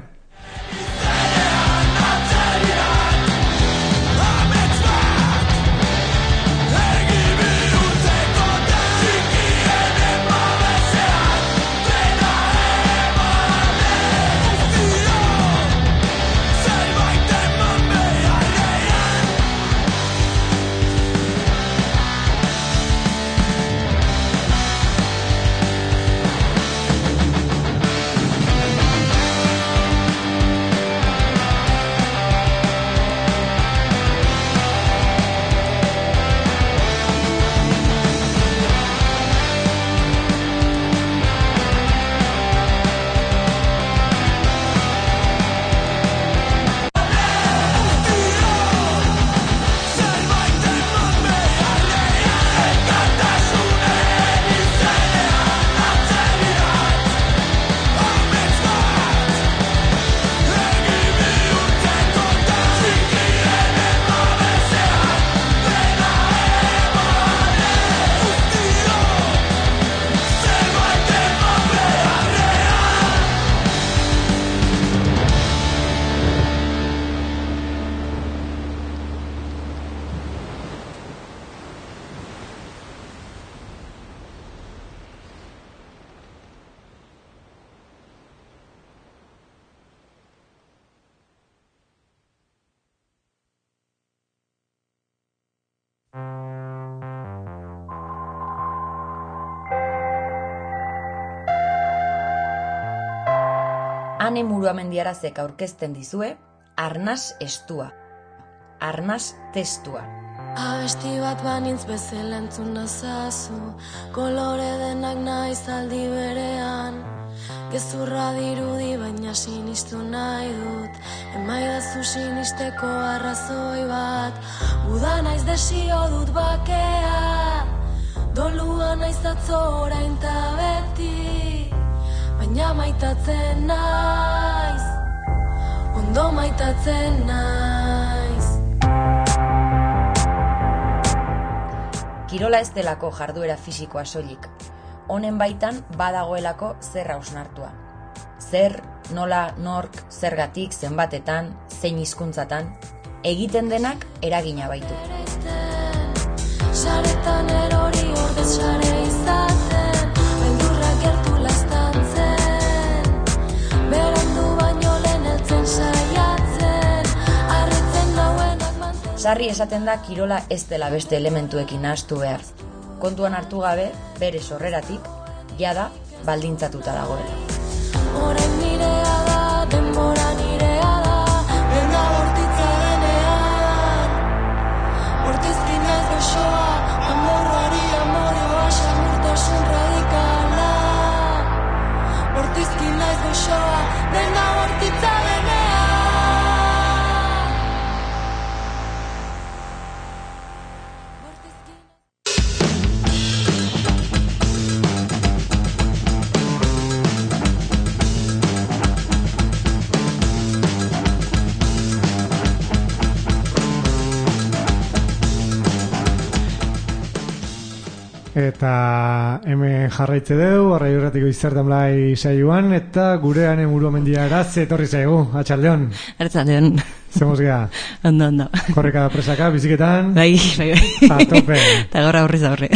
Ane Muruamendiarazek aurkezten dizue, arnaz estua, arnaz testua. Abesti bat banintz bezala entzun nazazu, kolore denak naiz aldi berean. Gezurra dirudi baina sinistu nahi dut, emaidazu sinisteko arrazoi bat. Uda naiz desio dut bakea, dolua naiz atzo orain ta beti, baina maitatzen naiz, ondo maitatzen naiz. Kirola ez delako jarduera fisikoa soilik, honen baitan badagoelako zer hausnartua. Zer, nola, nork, zergatik, zenbatetan, zein hizkuntzatan, egiten denak eragina baitu. Saretan erori ordez sare izaten, beldurra gertu laztantzen, berandu baino lehen heltzen saiatzen, harritzen nauenak manten. Sarri esaten da kirola ez dela beste elementuekin nahastu behar. Kontuan hartu gabe, bere sorreratik, jada baldintzatuta dagoela. Orain nirea da, denbora nirea da, benda bortitza denean. Bortizki naiz goxoa, amorrari amorioa, samurtasun radikala. Bortizki naiz goxoa, benda bortitza denean. Eta hemen jarraitze deu, arraio erratiko izertan blai saioan, eta gure Ane Muruamendiaraz etorri zaigu, atxaldeon. Artzaldeon. Zemuz gea. Ondo. Korreka presaka, biziketan. Bai. A tope. Eta gaur aurrez aurre.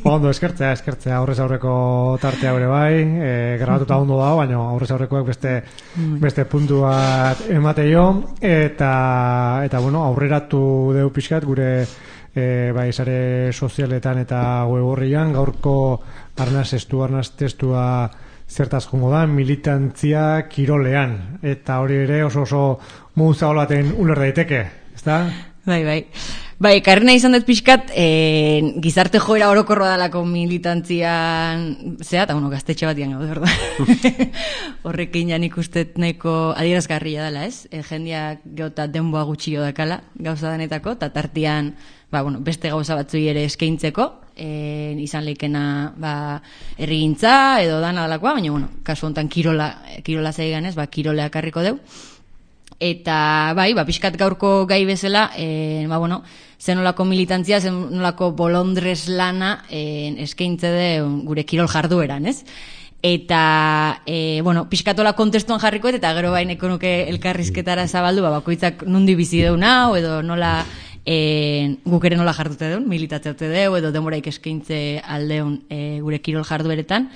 Ondo, eskertzea, aurrez aurreko tartea gure bai, grabatuta ondo dago, baina aurrez aurrekoak beste puntu bat emateio, eta bueno, aurreratu deu pixkat gure bai sare sozialetan eta web orrian gaurko arnaz testua zertaz jongo da, militantzia kirolean, eta hori ere oso muza olaten uler daiteke, ezta? Bai, karrena izan dut pixkat, gizarte joera orokorroa dalako militantzian, eta gaztetxe batian gaude, orda. Horrekin jan ikustet nahiko adierazgarria dela, ez? Jendeak geota denboa gutxio dakala, gauza denetako, eta tartian, beste gauza batzui ere eskaintzeko, izan leikena herrigintza edo dana dalakoa, baina, kasu honetan kirola zeigan ez, kiroleak harriko deu. Eta bai, pixkat gaurko gai bezala, zenolako militantzia, zenolako bolondrez lana eskaintze de gure kirol jardueran, ez? Eta, pixkatola kontestuan jarrikoet, eta gero baineko nuke elkarrizketara zabaldu, bakoitzak nundi bizi deun hau, edo nola guk ere nola jardute deun, militatzeute deu, edo demoraik eskaintze aldeun gure kirol jardueretan.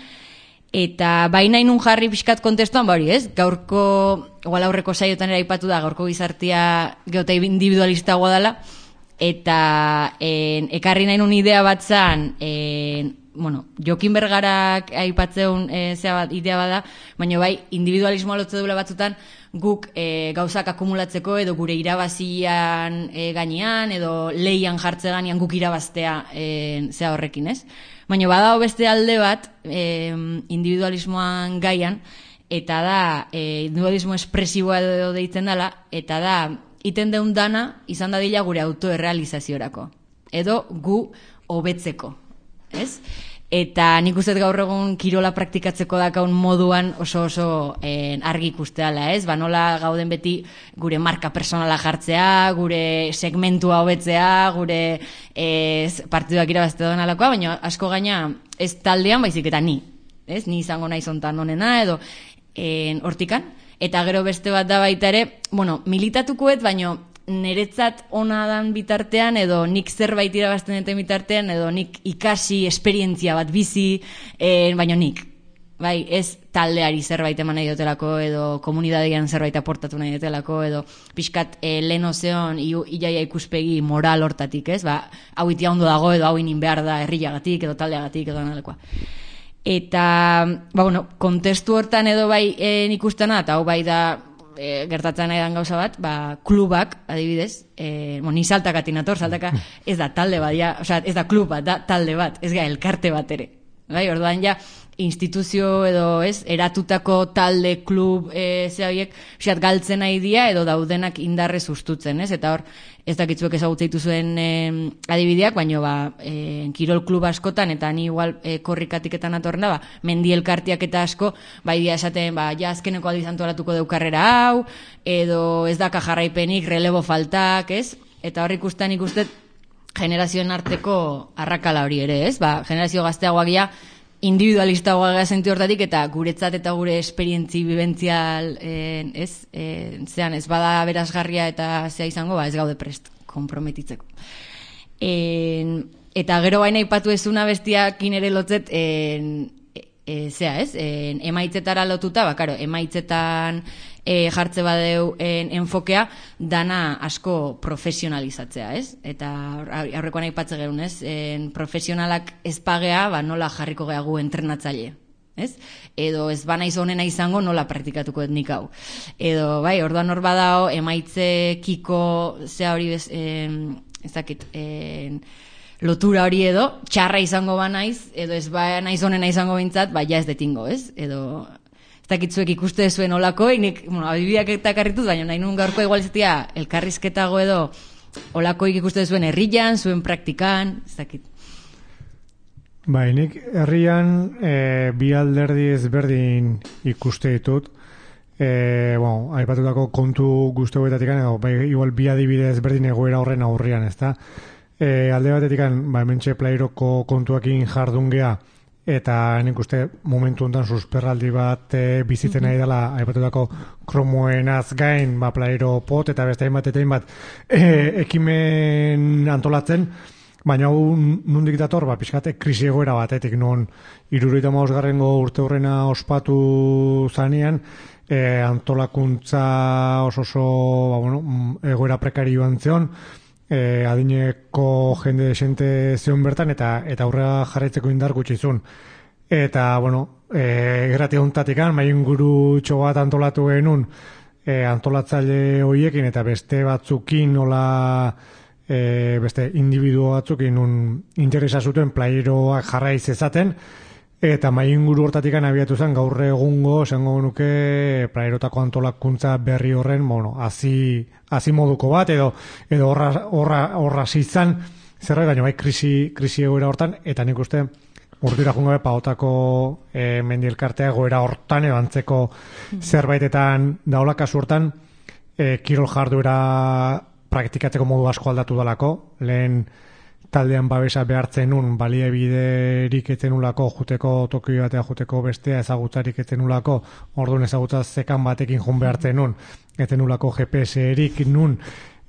Eta baina inun jarri pixkat kontestuan, hori ez? Gaurko, igual aurreko saiotan ere aipatu da, gaurko gizartia geota individualista dela, eta ekarri nahi nun idea bat zan, Jokin Bergarak aipatzeun idea bada, baina bai, individualismoa lotze duela batzutan, guk gauzak akumulatzeko edo gure irabazian gainean, edo leian jartze gainean guk irabaztea zea horrekin, ez? Baina badago beste alde bat, individualismoan gaian, eta da, individualismo espresiboa edo deitzen dela, eta da, iten deun dana izan dadila gure autoerrealizaziorako. Edo gu hobetzeko. Ez? Eta nik uste gaur egun kirola praktikatzeko dakaun moduan oso argi ikusteala, ez? Nola gauden beti gure marka personala jartzea, gure segmentua hobetzea, gure partiduak irabazte doan alakoa, baina asko gaina ez taldean baizik eta ni, ez? Ni izango nahi zontan honena, edo hortikan. Eta gero beste bat da baita ere, militatukoet, baina niretzat ona dan bitartean, edo nik zerbait irabazten duten bitartean, edo nik ikasi esperientzia bat bizi, baina nik. Bai, ez taldeari zerbait eman nahi dutelako, edo komunitatean zerbait aportatu nahi dutelako, edo pixkat lehen ozeon iaia ikuspegi moral hortatik, ez? Hau itia ondo dago, edo hau inin behar da herriagatik, edo taldeagatik, edo analekoa. Eta, kontestu hortan edo bai nik ustena, eta hau bai da gertatzen nahi dan gauza bat, klubak, adibidez, ni saltakatik nator, saltaka ez da talde bat, ez da klub bat, da talde bat, ez ga elkarte bat ere. Bai, orduan ja, instituzio edo ez, eratutako talde, klub, horiek, galtzen nahi dia, edo daudenak indarrez ustutzen, ez? Eta hor, ez dakitzuek ezagutzeitu zuen adibideak, baina kirol klub askotan, eta ni igual korrikatiketan atorren da, mendi elkartiak eta asko, bai dia esaten, ja azkeneko aldiz antolatuko deukarrera hau, edo ez daka jarraipenik, relebo faltak, ez? Eta hor ikusten generazioen arteko arrakala hori ere, ez? Generazio gazteagoak ja, individualista goaga zentu hortatik, eta guretzat eta gure esperientzi bibentzial zean ez bada berazgarria eta zea izango, ez gaude prest komprometitzeko. Eta gero baina ipatu ezuna bestiakin ere lotzet emaitzetara lotuta, emaitzetan jartze badeu enfokea, dana asko profesionalizatzea, ez? Eta aurrekoan aipatze gerun, ez? Profesionalak ezpagea, nola jarriko gehagu entrenatzaile, ez? Edo ez banaiz honena izango nola praktikatuko etnik hau. Edo, orduan hor badao, emaitzekiko zea hori ezakit, lotura hori edo, txarra izango banaiz, edo ez banaiz honena izango bintzat, ja ez detingo, ez? Edo, ez dakitzuek ikuste zuen olako, adibideak eta karrituz, baina nahi nun gaurko igualizatia elkarrizketago edo olakoik ikuste zuen herrian, zuen praktikan, ez dakit. Nik herrian bi alderdi ezberdin ikuste ditut, aipatutako kontu guztuetatik, igual bi adibide ezberdin egoera horren aurrian, ez da? Alde batetik, hementxe plairoko kontuakin jardungea, eta nik uste momentu honetan susperraldi bat bizitzen nahi dela, aipatutako kromoenaz gain, plairo pot, eta beste hainbat ekimen antolatzen, baina hau nundik dator, pixkate krisi egoera batetik, non 75. urte horrena ospatu zanean, antolakuntza oso egoera prekarioan zeon, adineko jende desente zeon bertan, eta aurrera jarraitzeko indar gutxizun. Eta, errati hontatik mainguru bat antolatu genuen antolatzaile horiekin, eta beste batzukin nola beste individuo batzukin interesa zuten playeroak jarraiz ezaten, eta mainguru hortatik abiatu zen gaur egungo, esango nuke playerotako antolakuntza berri horren, hazi moduko bat, edo horra zizan, zerbait, baina krisi egoera hortan, eta nik uste urtira jungabe paotako mendielkartea egoera hortan, edo antzeko zerbaitetan daola kasu hortan, kirol jarduera praktikatzeko modu asko aldatu dalako, lehen taldean babesa behartzen nun, baliabiderik etenulako, juteko Tokio batea, juteko bestea, ezagutzarik etenulako, orduan ezagutza zekan batekin jun behartzen nun, etenulako GPS-erik nun,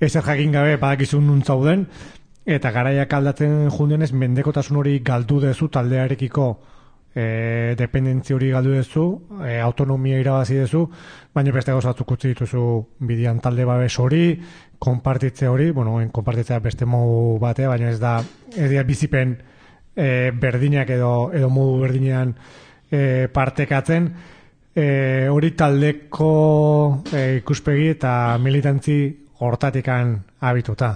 ezer jakin gabe badakizun nun zauden, eta garaiak aldatzen jundenez, mendekotasun hori galdu dezu taldearekiko, dependentzia hori galdu dezu, autonomia irabazi dezu, baina beste gauza batzuk utzi dituzu bidian talde babes hori, konpartitze hori, konpartitzea beste modu batea, baina ez da bizipen berdinak edo modu berdinean partekatzen, hori taldeko ikuspegi eta militantzi hortatikan abituta.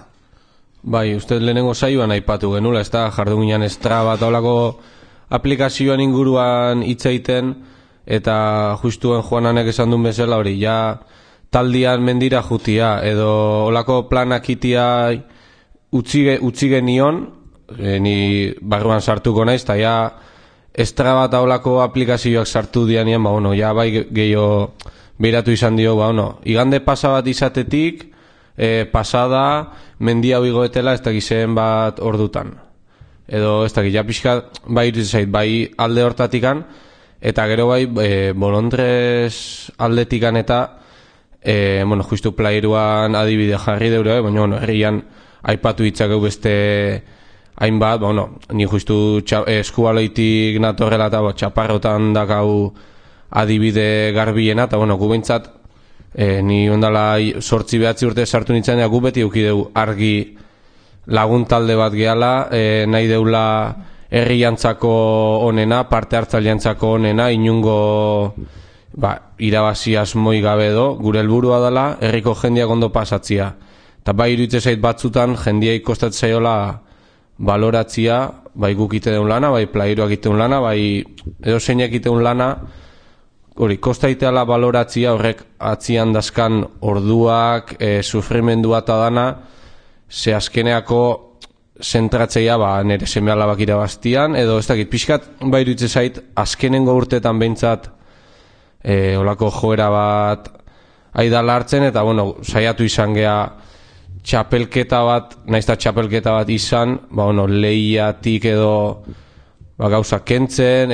Bai, uste lehenengo saioan aipatu genula, ez da, jarduginan Strava eta olako aplikazioan inguruan hitz egiten, eta justuen Juananek esan duen bezala hori, ja taldian mendira jutia, edo olako planak itia utzi genion, ni barruan sartuko naiz, eta ja Strava eta olako aplikazioak sartu dianean, ja bai gehiago behiratu izan dio, igande pasa bat izatetik, pasada, mendia igoetela ez dakizen bat ordutan. Edo ez dakit, ja pixka bai iruditzen bai alde hortatikan, eta gero bai bolondrez aldetikan eta justu plairuan adibide jarri deure, baina herrian aipatu hitzakeu beste hainbat, ni justu eskubaloitik natorrela eta txaparrotan dakau adibide garbiena, eta gu behintzat ni ondala 8-9 urte sartu nintzen, gu beti eukideu argi lagun talde bat gehala, nahi deula herriantzako onena, parte hartzaileantzako onena, inungo irabazi asmoi gabe edo, gure helburua dela herriko jendeak ondo pasatzia. Eta bai iruditzen zait batzutan jendeak kostatzen zaiola baloratzia, bai guk iteun lana, bai plairuak iteun lana, bai edo zeinak iteun lana, hori, kostaiteala baloratzia horrek atzian dazkan orduak, sufrimendua eta dana, ze azkeneako zentratzeia nire seme alabak irabaztian, edo ez dakit, pixkat bai iruditzen zait, azkenengo urteetan behintzat olako joera bat aidala hartzen, eta saiatu izan gea txapelketa bat, naizta txapelketa bat izan, lehiatik edo gauza kentzen,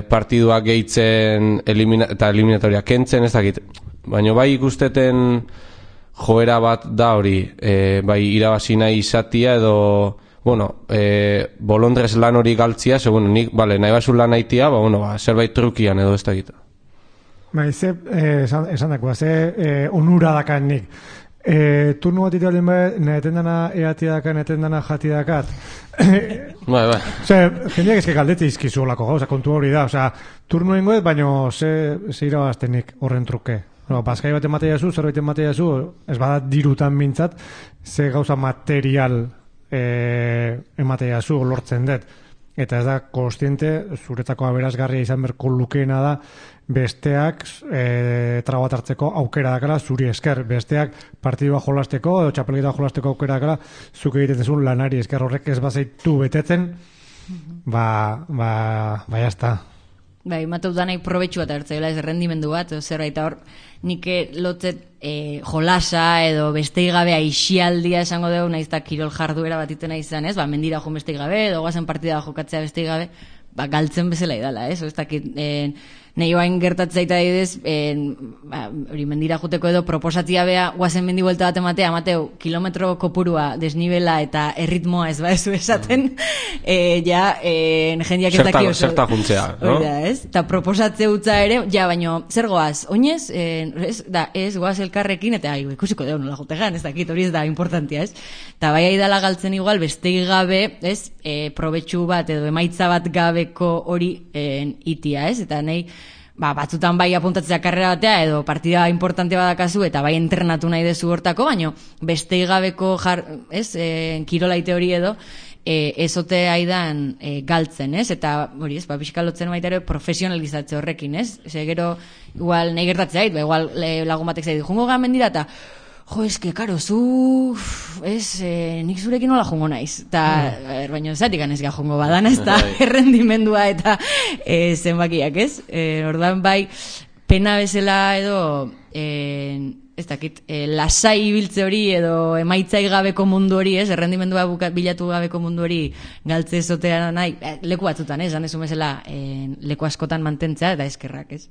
partiduak gehitzen eta eliminatoria kentzen, ez dakit. Baina bai ikusteten joera bat da hori, bai irabazi nahi izatia edo, bolondrez lan hori galtzia, nik, nahi basu lan haitia, zerbait trukian edo ez dakit. Esan dakoa, ze onura dakan nik. Turnu bat italen naheten dana eati dakan, naheten dana jati dakat. Jendeak ezke galdetze izkizu olako gauza, kontu hori da. Turnu ingoet, baina ze irabaztenik horren truke. Bazkai bat ematea zu, zerbait ematea zu, ez badat dirutan mintzat, ze gauza material ematea zu, lortzen dut. Eta ez da, kostiente, zuretzako aberazgarria izan berko lukeena da, besteak trabat hartzeko aukera dakala zuri esker, besteak partidua jolasteko edo txapelketa jolasteko aukera dakala zuk egiten dezun lanari esker, horrek ez bazaitu betetzen, jazta. Bai, mateu danai probetxu bat hartzaila, ez rendimendu bat, zerbait hor, nik lotzet jolasa edo bestei gabe aixialdia esango dugu, naizta kirol jarduera bat itena izan, ez? Mendira joan bestei gabe, edo guazen partida jokatzea bestei gabe, galtzen bezala idala, ez? Ez dakit, nahi oain gertatzaita didez, hori mendira juteko edo proposatzia bea, guazen mendi buelta bat ematea, Mateu, kilometro kopurua, desnibela eta erritmoa ez baezu esaten, jendiak ez daki oso. Zerta juntzea, no? Eta proposatze utza ere, baino, zer goaz, oinez, ez goaz elkarrekin, eta ikusiko deu nola jutegan, ez dakit, hori ez da importantia, ez? Eta bai aidala galtzen igual, bestegi gabe, ez, probetxu bat edo emaitza bat gabeko hori itia, ez? Eta nahi, batzutan bai apuntatzea karrera batea edo partida importante badakazu eta bai entrenatu nahi dezu hortako, baino bestei gabeko kirolaite hori edo ezote aidan galtzen, ez? Eta hori, ez, pixkalotzen baita ere profesionalizatze horrekin, ez? Gero, igual nahi gertatzea, igual lagun batek zaitu, jungo gamen dira, eta eske, karo, zu, nik zurekin nola jungo naiz. Eta, baina zatik ganez jungo badana, ez da errendimendua eta zenbakiak, ez? Ordan bai, pena bezala edo ez dakit, lasai ibiltze hori edo emaitzai gabeko mundu hori, ez, errendimendua bilatu gabeko mundu hori galtze ezotea nahi, leku batzutan, ez, esan bezala leku askotan mantentzea eta eskerrak, ez.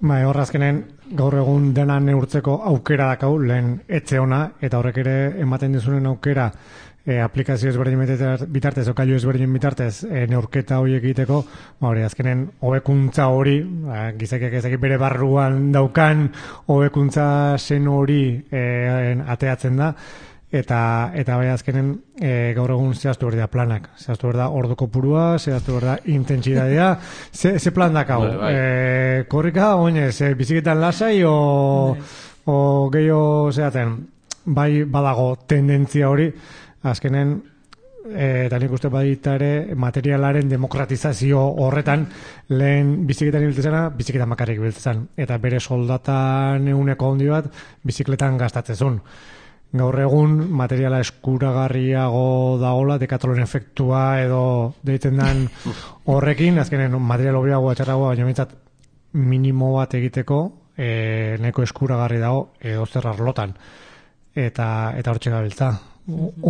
Bai, horrazkenen gaur egun dena neurtzeko aukera dakau, lehen etxe ona, eta horrek ere ematen dizunen aukera aplikazio ezberdin bitartez, okailu ezberdin bitartez neurketa horiek egiteko, hori azkenen hobekuntza hori, gizakiak ezakit bere barruan daukan hobekuntza zen hori ateatzen da, eta bai azkenen gaur egun zehaztu berda planak, zehaztu berda ordu kopurua, zehaztu berda intentsidadea, ze plan dakau, korrika, oinez, biziketan lasai o gehiago zehaten, bai badago tendentzia hori, azkenen, eta nik uste badita ere, materialaren demokratizazio horretan, lehen bizikletan ibiltzezena, bizikletan bakarrik ibiltzezan. Eta bere soldatan eguneko handi bat, bizikletan gastatzezun. Gaur egun, materiala eskuragarriago dagoela, Decathlon efektua edo deitzen den horrekin, azkenen material hobiagoa txarragoa, baina bintzat minimo bat egiteko, neko eskuragarri dago, edo zer arlotan. Eta hortxe gabiltza.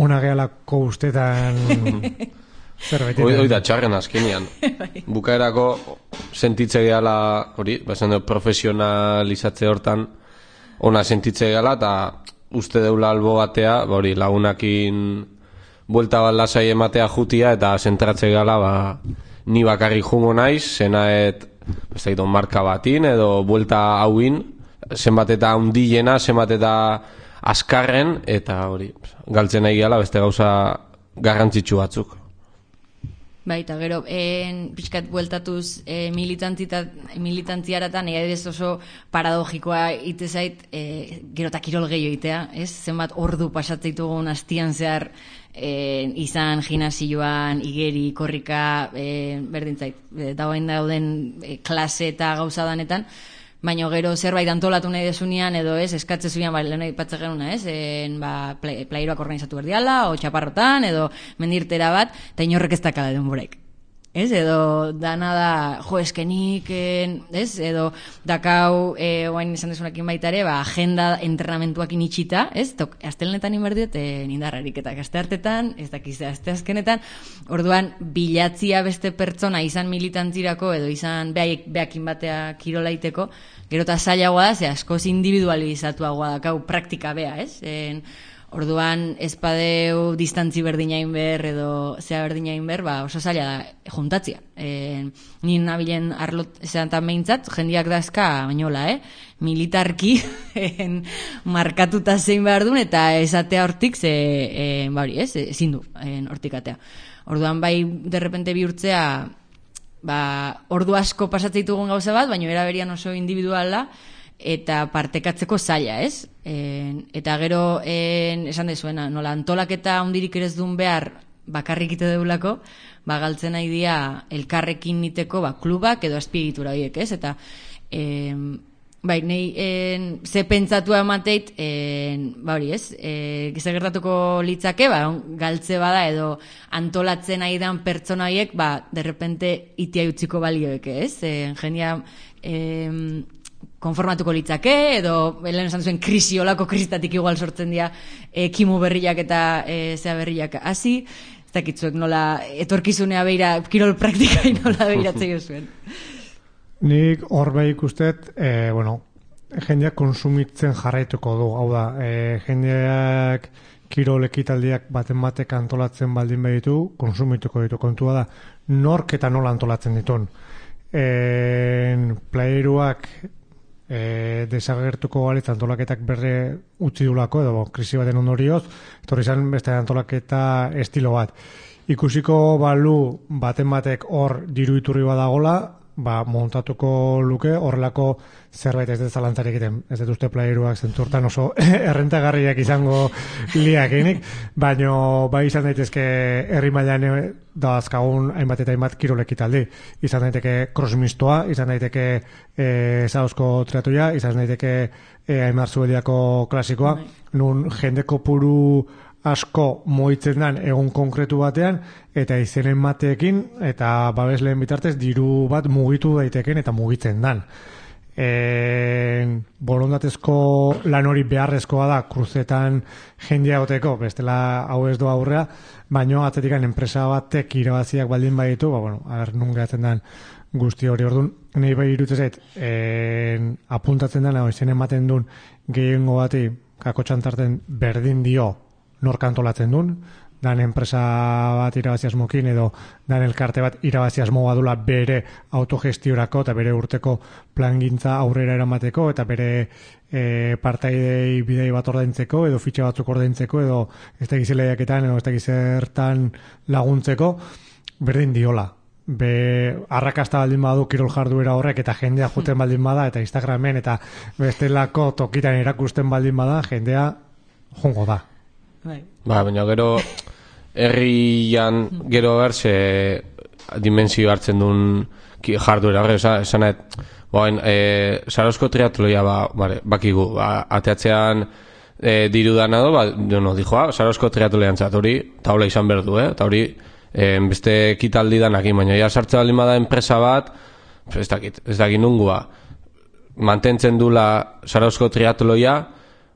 Ona gehalako ustetan zerbait. Hoi da txarren azkenean. Bukaerako sentitze gehala, hori, bazen profesionalizatze hortan, ona sentitze gehala, eta uste deula albo batea, hori, lagunakin buelta bat lasai ematea jutia, eta zentratze gehala, ni bakarri jungo naiz, zenaet, marka batin, edo buelta hauin, zenbat eta hundilena, zenbat eta askarren, eta hori, galtzen nahi gala beste gauza garrantzitsu batzuk. Bai, eta gero, pixkat bueltatuz militantziaratan, ez oso paradogikoa itezait, gero eta kirol gehiago itea, ez? Zenbat ordu pasatzitugun astian zehar izan gimnasioan, igeri, korrika, berdintzait, dauden klase eta gauza danetan, baina gero zerbait antolatu nahi desunean edo ez, eskatze zuean, lehen aipatzen genuna, ez, playeroak organizatu berdiala, o txaparrotan, edo mendirtera bat, eta inorrek ez dakala denborek. Ez, edo dana da, eskenik, ez, edo dakau, oain izan desunekin baita ere, agenda entrenamentuakin itxita, ez, astelenetan inberdiot, nindarrarik eta asteartetan, ez dakiz, asteazkenetan, orduan, bilatzia beste pertsona izan militantzirako, edo izan behakin batea kirolaiteko, gero eta zailagoa da, ze askoz individualizatuagoa dakau praktika bea, ez, orduan espadeu distantzi berdinain ber edo zea berdinain ber, oso zaila da juntatzia. Ni nabilen arlot esan behintzat, jendiak dazka bainola, militarki markatuta zein behar duen, eta esatea hortik ezin du hortik atea. Orduan bai derrepente bihurtzea ordu asko pasatzitugun gauza bat, baina eraberian oso individuala, eta partekatzeko zaila, ez? Eta gero, esan dezuena, nola antolaketa hundirik ere ez duen behar bakarrik ite deulako, galtzen nahi dia elkarrekin niteko klubak edo azpiegitura horiek, ez? Eta, nahi, ze pentsatu emateit, hori, ez? Giza gertatuko litzake, galtze bada edo antolatzen nahi dan pertsona horiek, derrepente itia utziko balioek, ez? Jendea, konformatuko litzake, edo lehen esan zuen olako krisitatik igual sortzen dira kimu berriak eta zea berriak hasi, ez dakitzuek nola etorkizunea beira, kirol praktikai nola beiratzei zuen. Nik hor behik ustet, jendeak konsumitzen jarraituko du, hau da, jendeak kirol ekitaldiak baten antolatzen baldin behitu, konsumituko ditu, kontua da, nork eta nola antolatzen ditun. Playeruak desagertuko balitz antolaketak berre utzi dulako, edo krisi baten ondorioz, etorri izan beste antolaketa estilo bat. Ikusiko balu batek hor diru iturri badagola, montatuko luke horrelako zerbait ez dut zalantzarik egiten. Ez dut uste playeruak zenturtan oso errentagarriak izango liakenik, baino izan daitezke herri mailan da azkagun hainbat eta hainbat kirolekitaldi. Izan daiteke crossmistoa, izan daiteke zauzko triatuia, izan daiteke Aimar Zubeldiako klasikoa, nun jende kopuru asko moitzen dan egun konkretu batean, eta izenen mateekin, eta babesleen bitartez diru bat mugitu daiteken eta mugitzen dan. borondatezko lan hori beharrezkoa da kruzetan jendea goteko, bestela hau ez do aurrea, baino atzetikan enpresa batek irabaziak baldin baditu, nun gehatzen den guzti hori orduan, nahi bai irutzen zait, apuntatzen dena, izen ematen duen gehiengo bati, kako txantarten berdin dio nork antolatzen duen, dan enpresa bat irabaziasmokin edo dan elkarte bat irabaziasmo badula bere autogestiorako eta bere urteko plangintza aurrera eramateko eta bere partaidei bidei bat ordaintzeko edo fitxa batzuk ordaintzeko edo ez da gizeleiaketan edo ez da gizertan laguntzeko berdin diola. Arrakasta baldin badu kirol jarduera horrek eta jendea juten baldin bada eta Instagramen eta bestelako tokitan erakusten baldin bada jendea jongo da. Baina gero herrian gero berse dimensio hartzen duen jarduera horre, esanet Sarozko triatloia bakigu, ateatzean diru dana do, dijoa, Sarozko triatloian zat hori taula izan berdu, eta hori beste ekitaldi danakin, baina ja sartze baldin bada enpresa bat, ez dakit nungua mantentzen dula Sarozko triatloia,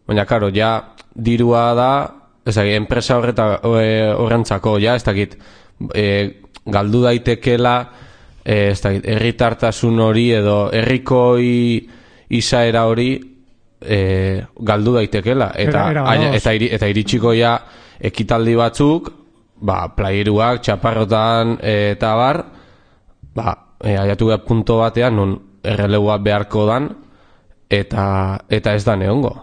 baina karo, ja dirua da ez dakit, enpresa horrentzako, ja, ez dakit, galdu daitekela, ez dakit, herritartasun hori edo herrikoi izaera hori galdu daitekela. Eta iritsiko ja ekitaldi batzuk, playeruak, txaparrotan eta bar, aiatu gara punto batean, non errelegua beharko dan, eta ez da neongo.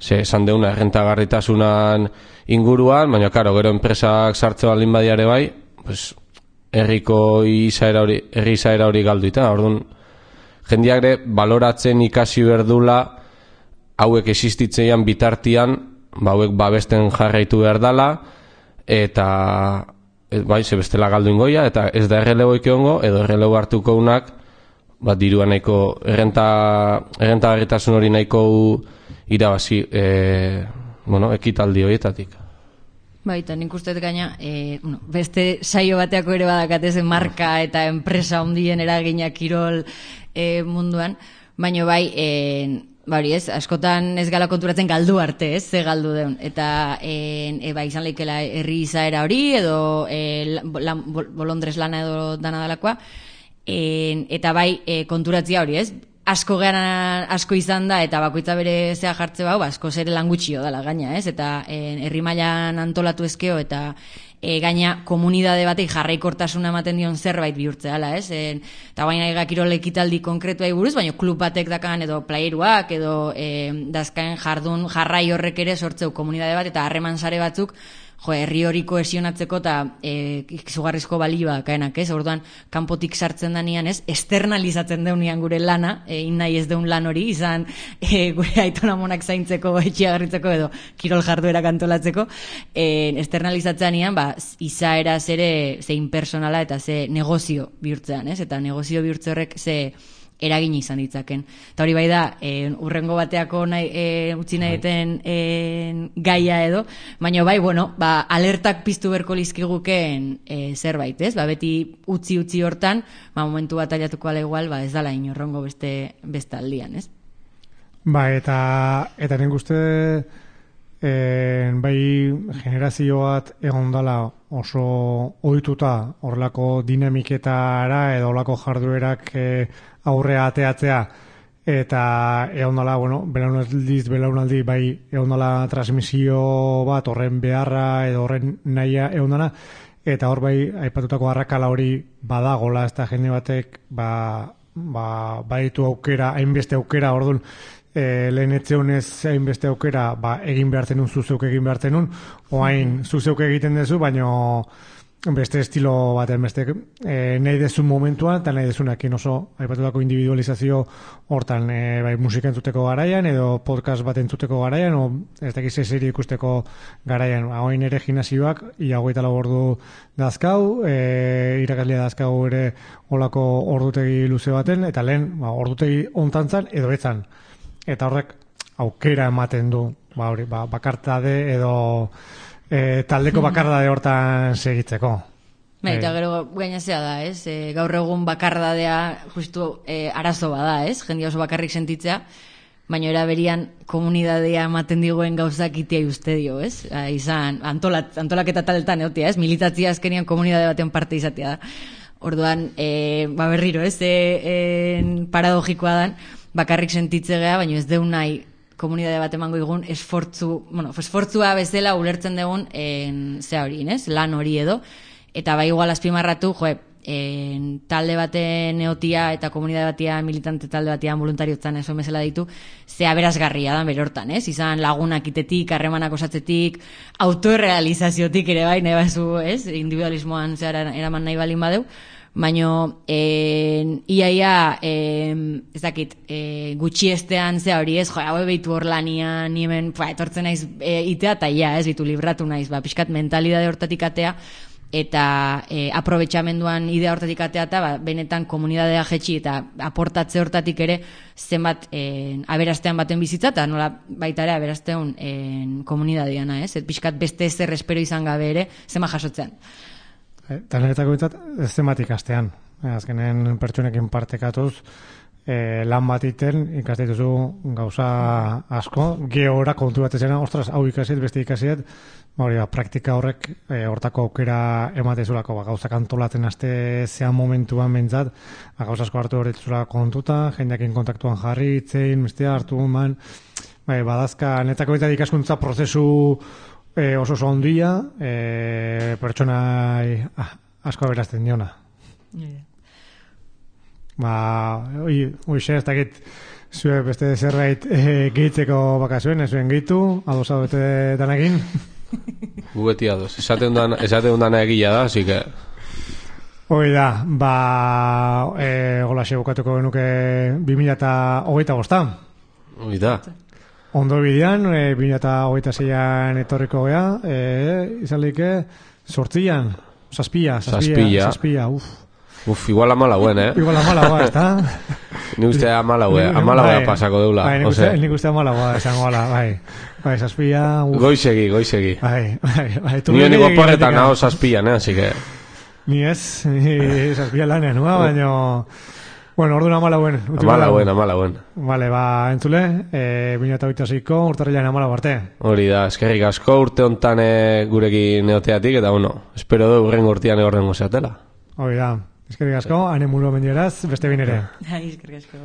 Esan deuna errentagarritasunan inguruan, baina karo, gero enpresak sartze baldin badiare bai, herri izaera hori galduita. Orduan, jendeak ere baloratzen ikasi berdula hauek existitzeian bitartian, hauek babesten jarraitu berdala, eta ze bestela galdu ingoia, eta ez da errelegoik egongo, edo errelego hartuko unak, dirua nahiko, errentagarritasun hori nahiko irabazi ekitaldi horietatik. Eta nik uste gaina beste saio bateako ere badakatezen marka eta enpresa hondien eragina kirol munduan, baina bai askotan ez gala konturatzen galdu arte, ze galdu deun, eta izan leikela herri izaera hori edo bolondrez lana edo dana dalakoa, eta bai konturatzia hori, asko izan da eta bakoitza bere zea jartze bau, asko zere lan gutxio dela gaina, eta herri mailan antolatu ezkeo eta gaina komunidade batek jarraikortasuna ematen dion zerbait bihurtzea dela, eta baina kirol ekitaldi konkretuai buruz, baina klub batek dakan edo playeruak edo dazkaen jardun jarrai horrek ere sortzeu komunidade bat eta harreman sare batzuk herri hori kohesionatzeko eta izugarrizko balioa kaenak, orduan kanpotik sartzen danian, esternalizatzen deunian gure lana, nahi ez deun lan hori, izan gure aitonamonak zaintzeko, etxia garritzeko edo kirol jarduera kantolatzeko, esternalizatzen danian, izaera zere ze impersonala eta ze negozio bihurtzean, eta negozio bihurtze horrek ze eragin izan ditzaken. Eta hori bai da, urrengo bateako utzi nahiten gaia edo, baina bai, alertak piztu berko lizkigukeen zerbait, beti utzi hortan, momentu bat aliatuko ala igual, ez dala inorrongo beste aldian, Eta nik uste bai generazio bat egon dala oso ohituta horrelako dinamiketara edo horrelako jarduerak aurrea ateatzea eta egon dala, belaunaldi bai egon dala transmisio bat horren beharra edo horren nahia egon dala eta hor bai aipatutako arrakala hori badagola, ez da jende batek baitu aukera, hainbeste aukera, orduan lehen etzeunez hainbeste aukera egin behartzen zuzeuk egin behartzen oain zuzeuk egiten dezu, baino beste estilo baten beste nahi dezun momentuan eta nahi dezunakin oso aipatutako individualizazio hortan bai musika entzuteko garaian edo podcast bat entzuteko garaian o ez dakiz serie ikusteko garaian hain ere gimnasioak ia 24 ordu dazkau irakaslea dazkau ere olako ordutegi luze baten eta lehen ordutegi hontantzan edo etzan eta horrek aukera ematen du bakartade edo taldeko bakardade hortan segitzeko. Eta gero gainazea da, ez? Gaur egun bakardadea justu arazo bada, ez? Jendia oso bakarrik sentitzea, baina era berian komunidadea ematen diguen gauzak itea uste dio, ez? Izan, antolaketa taldetan egotia, ez? Militatzia azkenian komunidade baten parte izatea da. Orduan, berriro, ez? Paradogikoa dan, bakarrik sentitzea, baina ez deun nahi komunidade bat emango igun esfortzua bezala ulertzen dugun zea hori, ez? Lan hori edo. Eta bai igual azpimarratu, talde baten eotia eta komunidade batia, militante talde batia, voluntariotzan eso bezala ditu, ze aberasgarria da bere hortan, ez? Izan lagunak itetik, harremanak osatzetik, autorealizaziotik ere bai, nahi bazu, ez? Individualismoan zehara eraman nahi balin badeu, baino iaia ez dakit gutxiestean zea hori, ez? Hau behitu hor lanian, ni hemen etortzen naiz itea eta ia, ez? Bitu libratu naiz, pixkat mentalidade hortatik atea, eta aprobetxamenduan idea hortatik atea eta benetan komunidadea jetxi eta aportatze hortatik ere zenbat aberastean baten bizitza eta nola baita ere aberastean komunidadeana, ez? Pixkat beste ezer espero izan gabe ere zema jasotzean. Eta niretako bintzat zenbat ikastean. Azkenen pertsonekin partekatuz lan bat iten ikaste dituzu gauza asko. Geora kontu bat ezena, ostras, hau ikasiet, beste ikasiet, praktika horrek hortako aukera ematezulako gauzak antolatzen aste zean momentuan bentzat, gauza asko hartu horretzula kontuta, jendeakin kontaktuan jarri, itzein, bestea hartu man, badazka netako bintzat ikaskuntza prozesu oso ondia, pertsona asko aberazten diona. Ez dakit zue beste zerbait gehitzeko bakazuen, ez zuen gehitu, ados hau bete danakin. Gu beti ados, esaten dana egia da, así que... Hoi da, golaxe bukatuko genuke 2025. Hoi da. Ondo bidean, 2026an etorriko gea, izan lehike, 8an, Zazpia, igual amalauen, Igual amalaua, ez da? Ni uste amalaua pasako deula. Nik uste amalaua, esango ala, bai, Zazpia... Goizegi. Bai. Nio niko porretan hau Zazpian, así que... Ni ez, Zazpia lanean, baina... Bueno, orduan amalauen. Amalauen. Vale, entzule, 2026ko urtarrilean amalau arte. Hori da, eskerrik asko urte hontan gurekin neoteatik, eta espero du urrengo urtean egorrengo zeatela. Hori da, eskerrik asko, ane mulu mendieraz, beste binere. Eskerrik asko.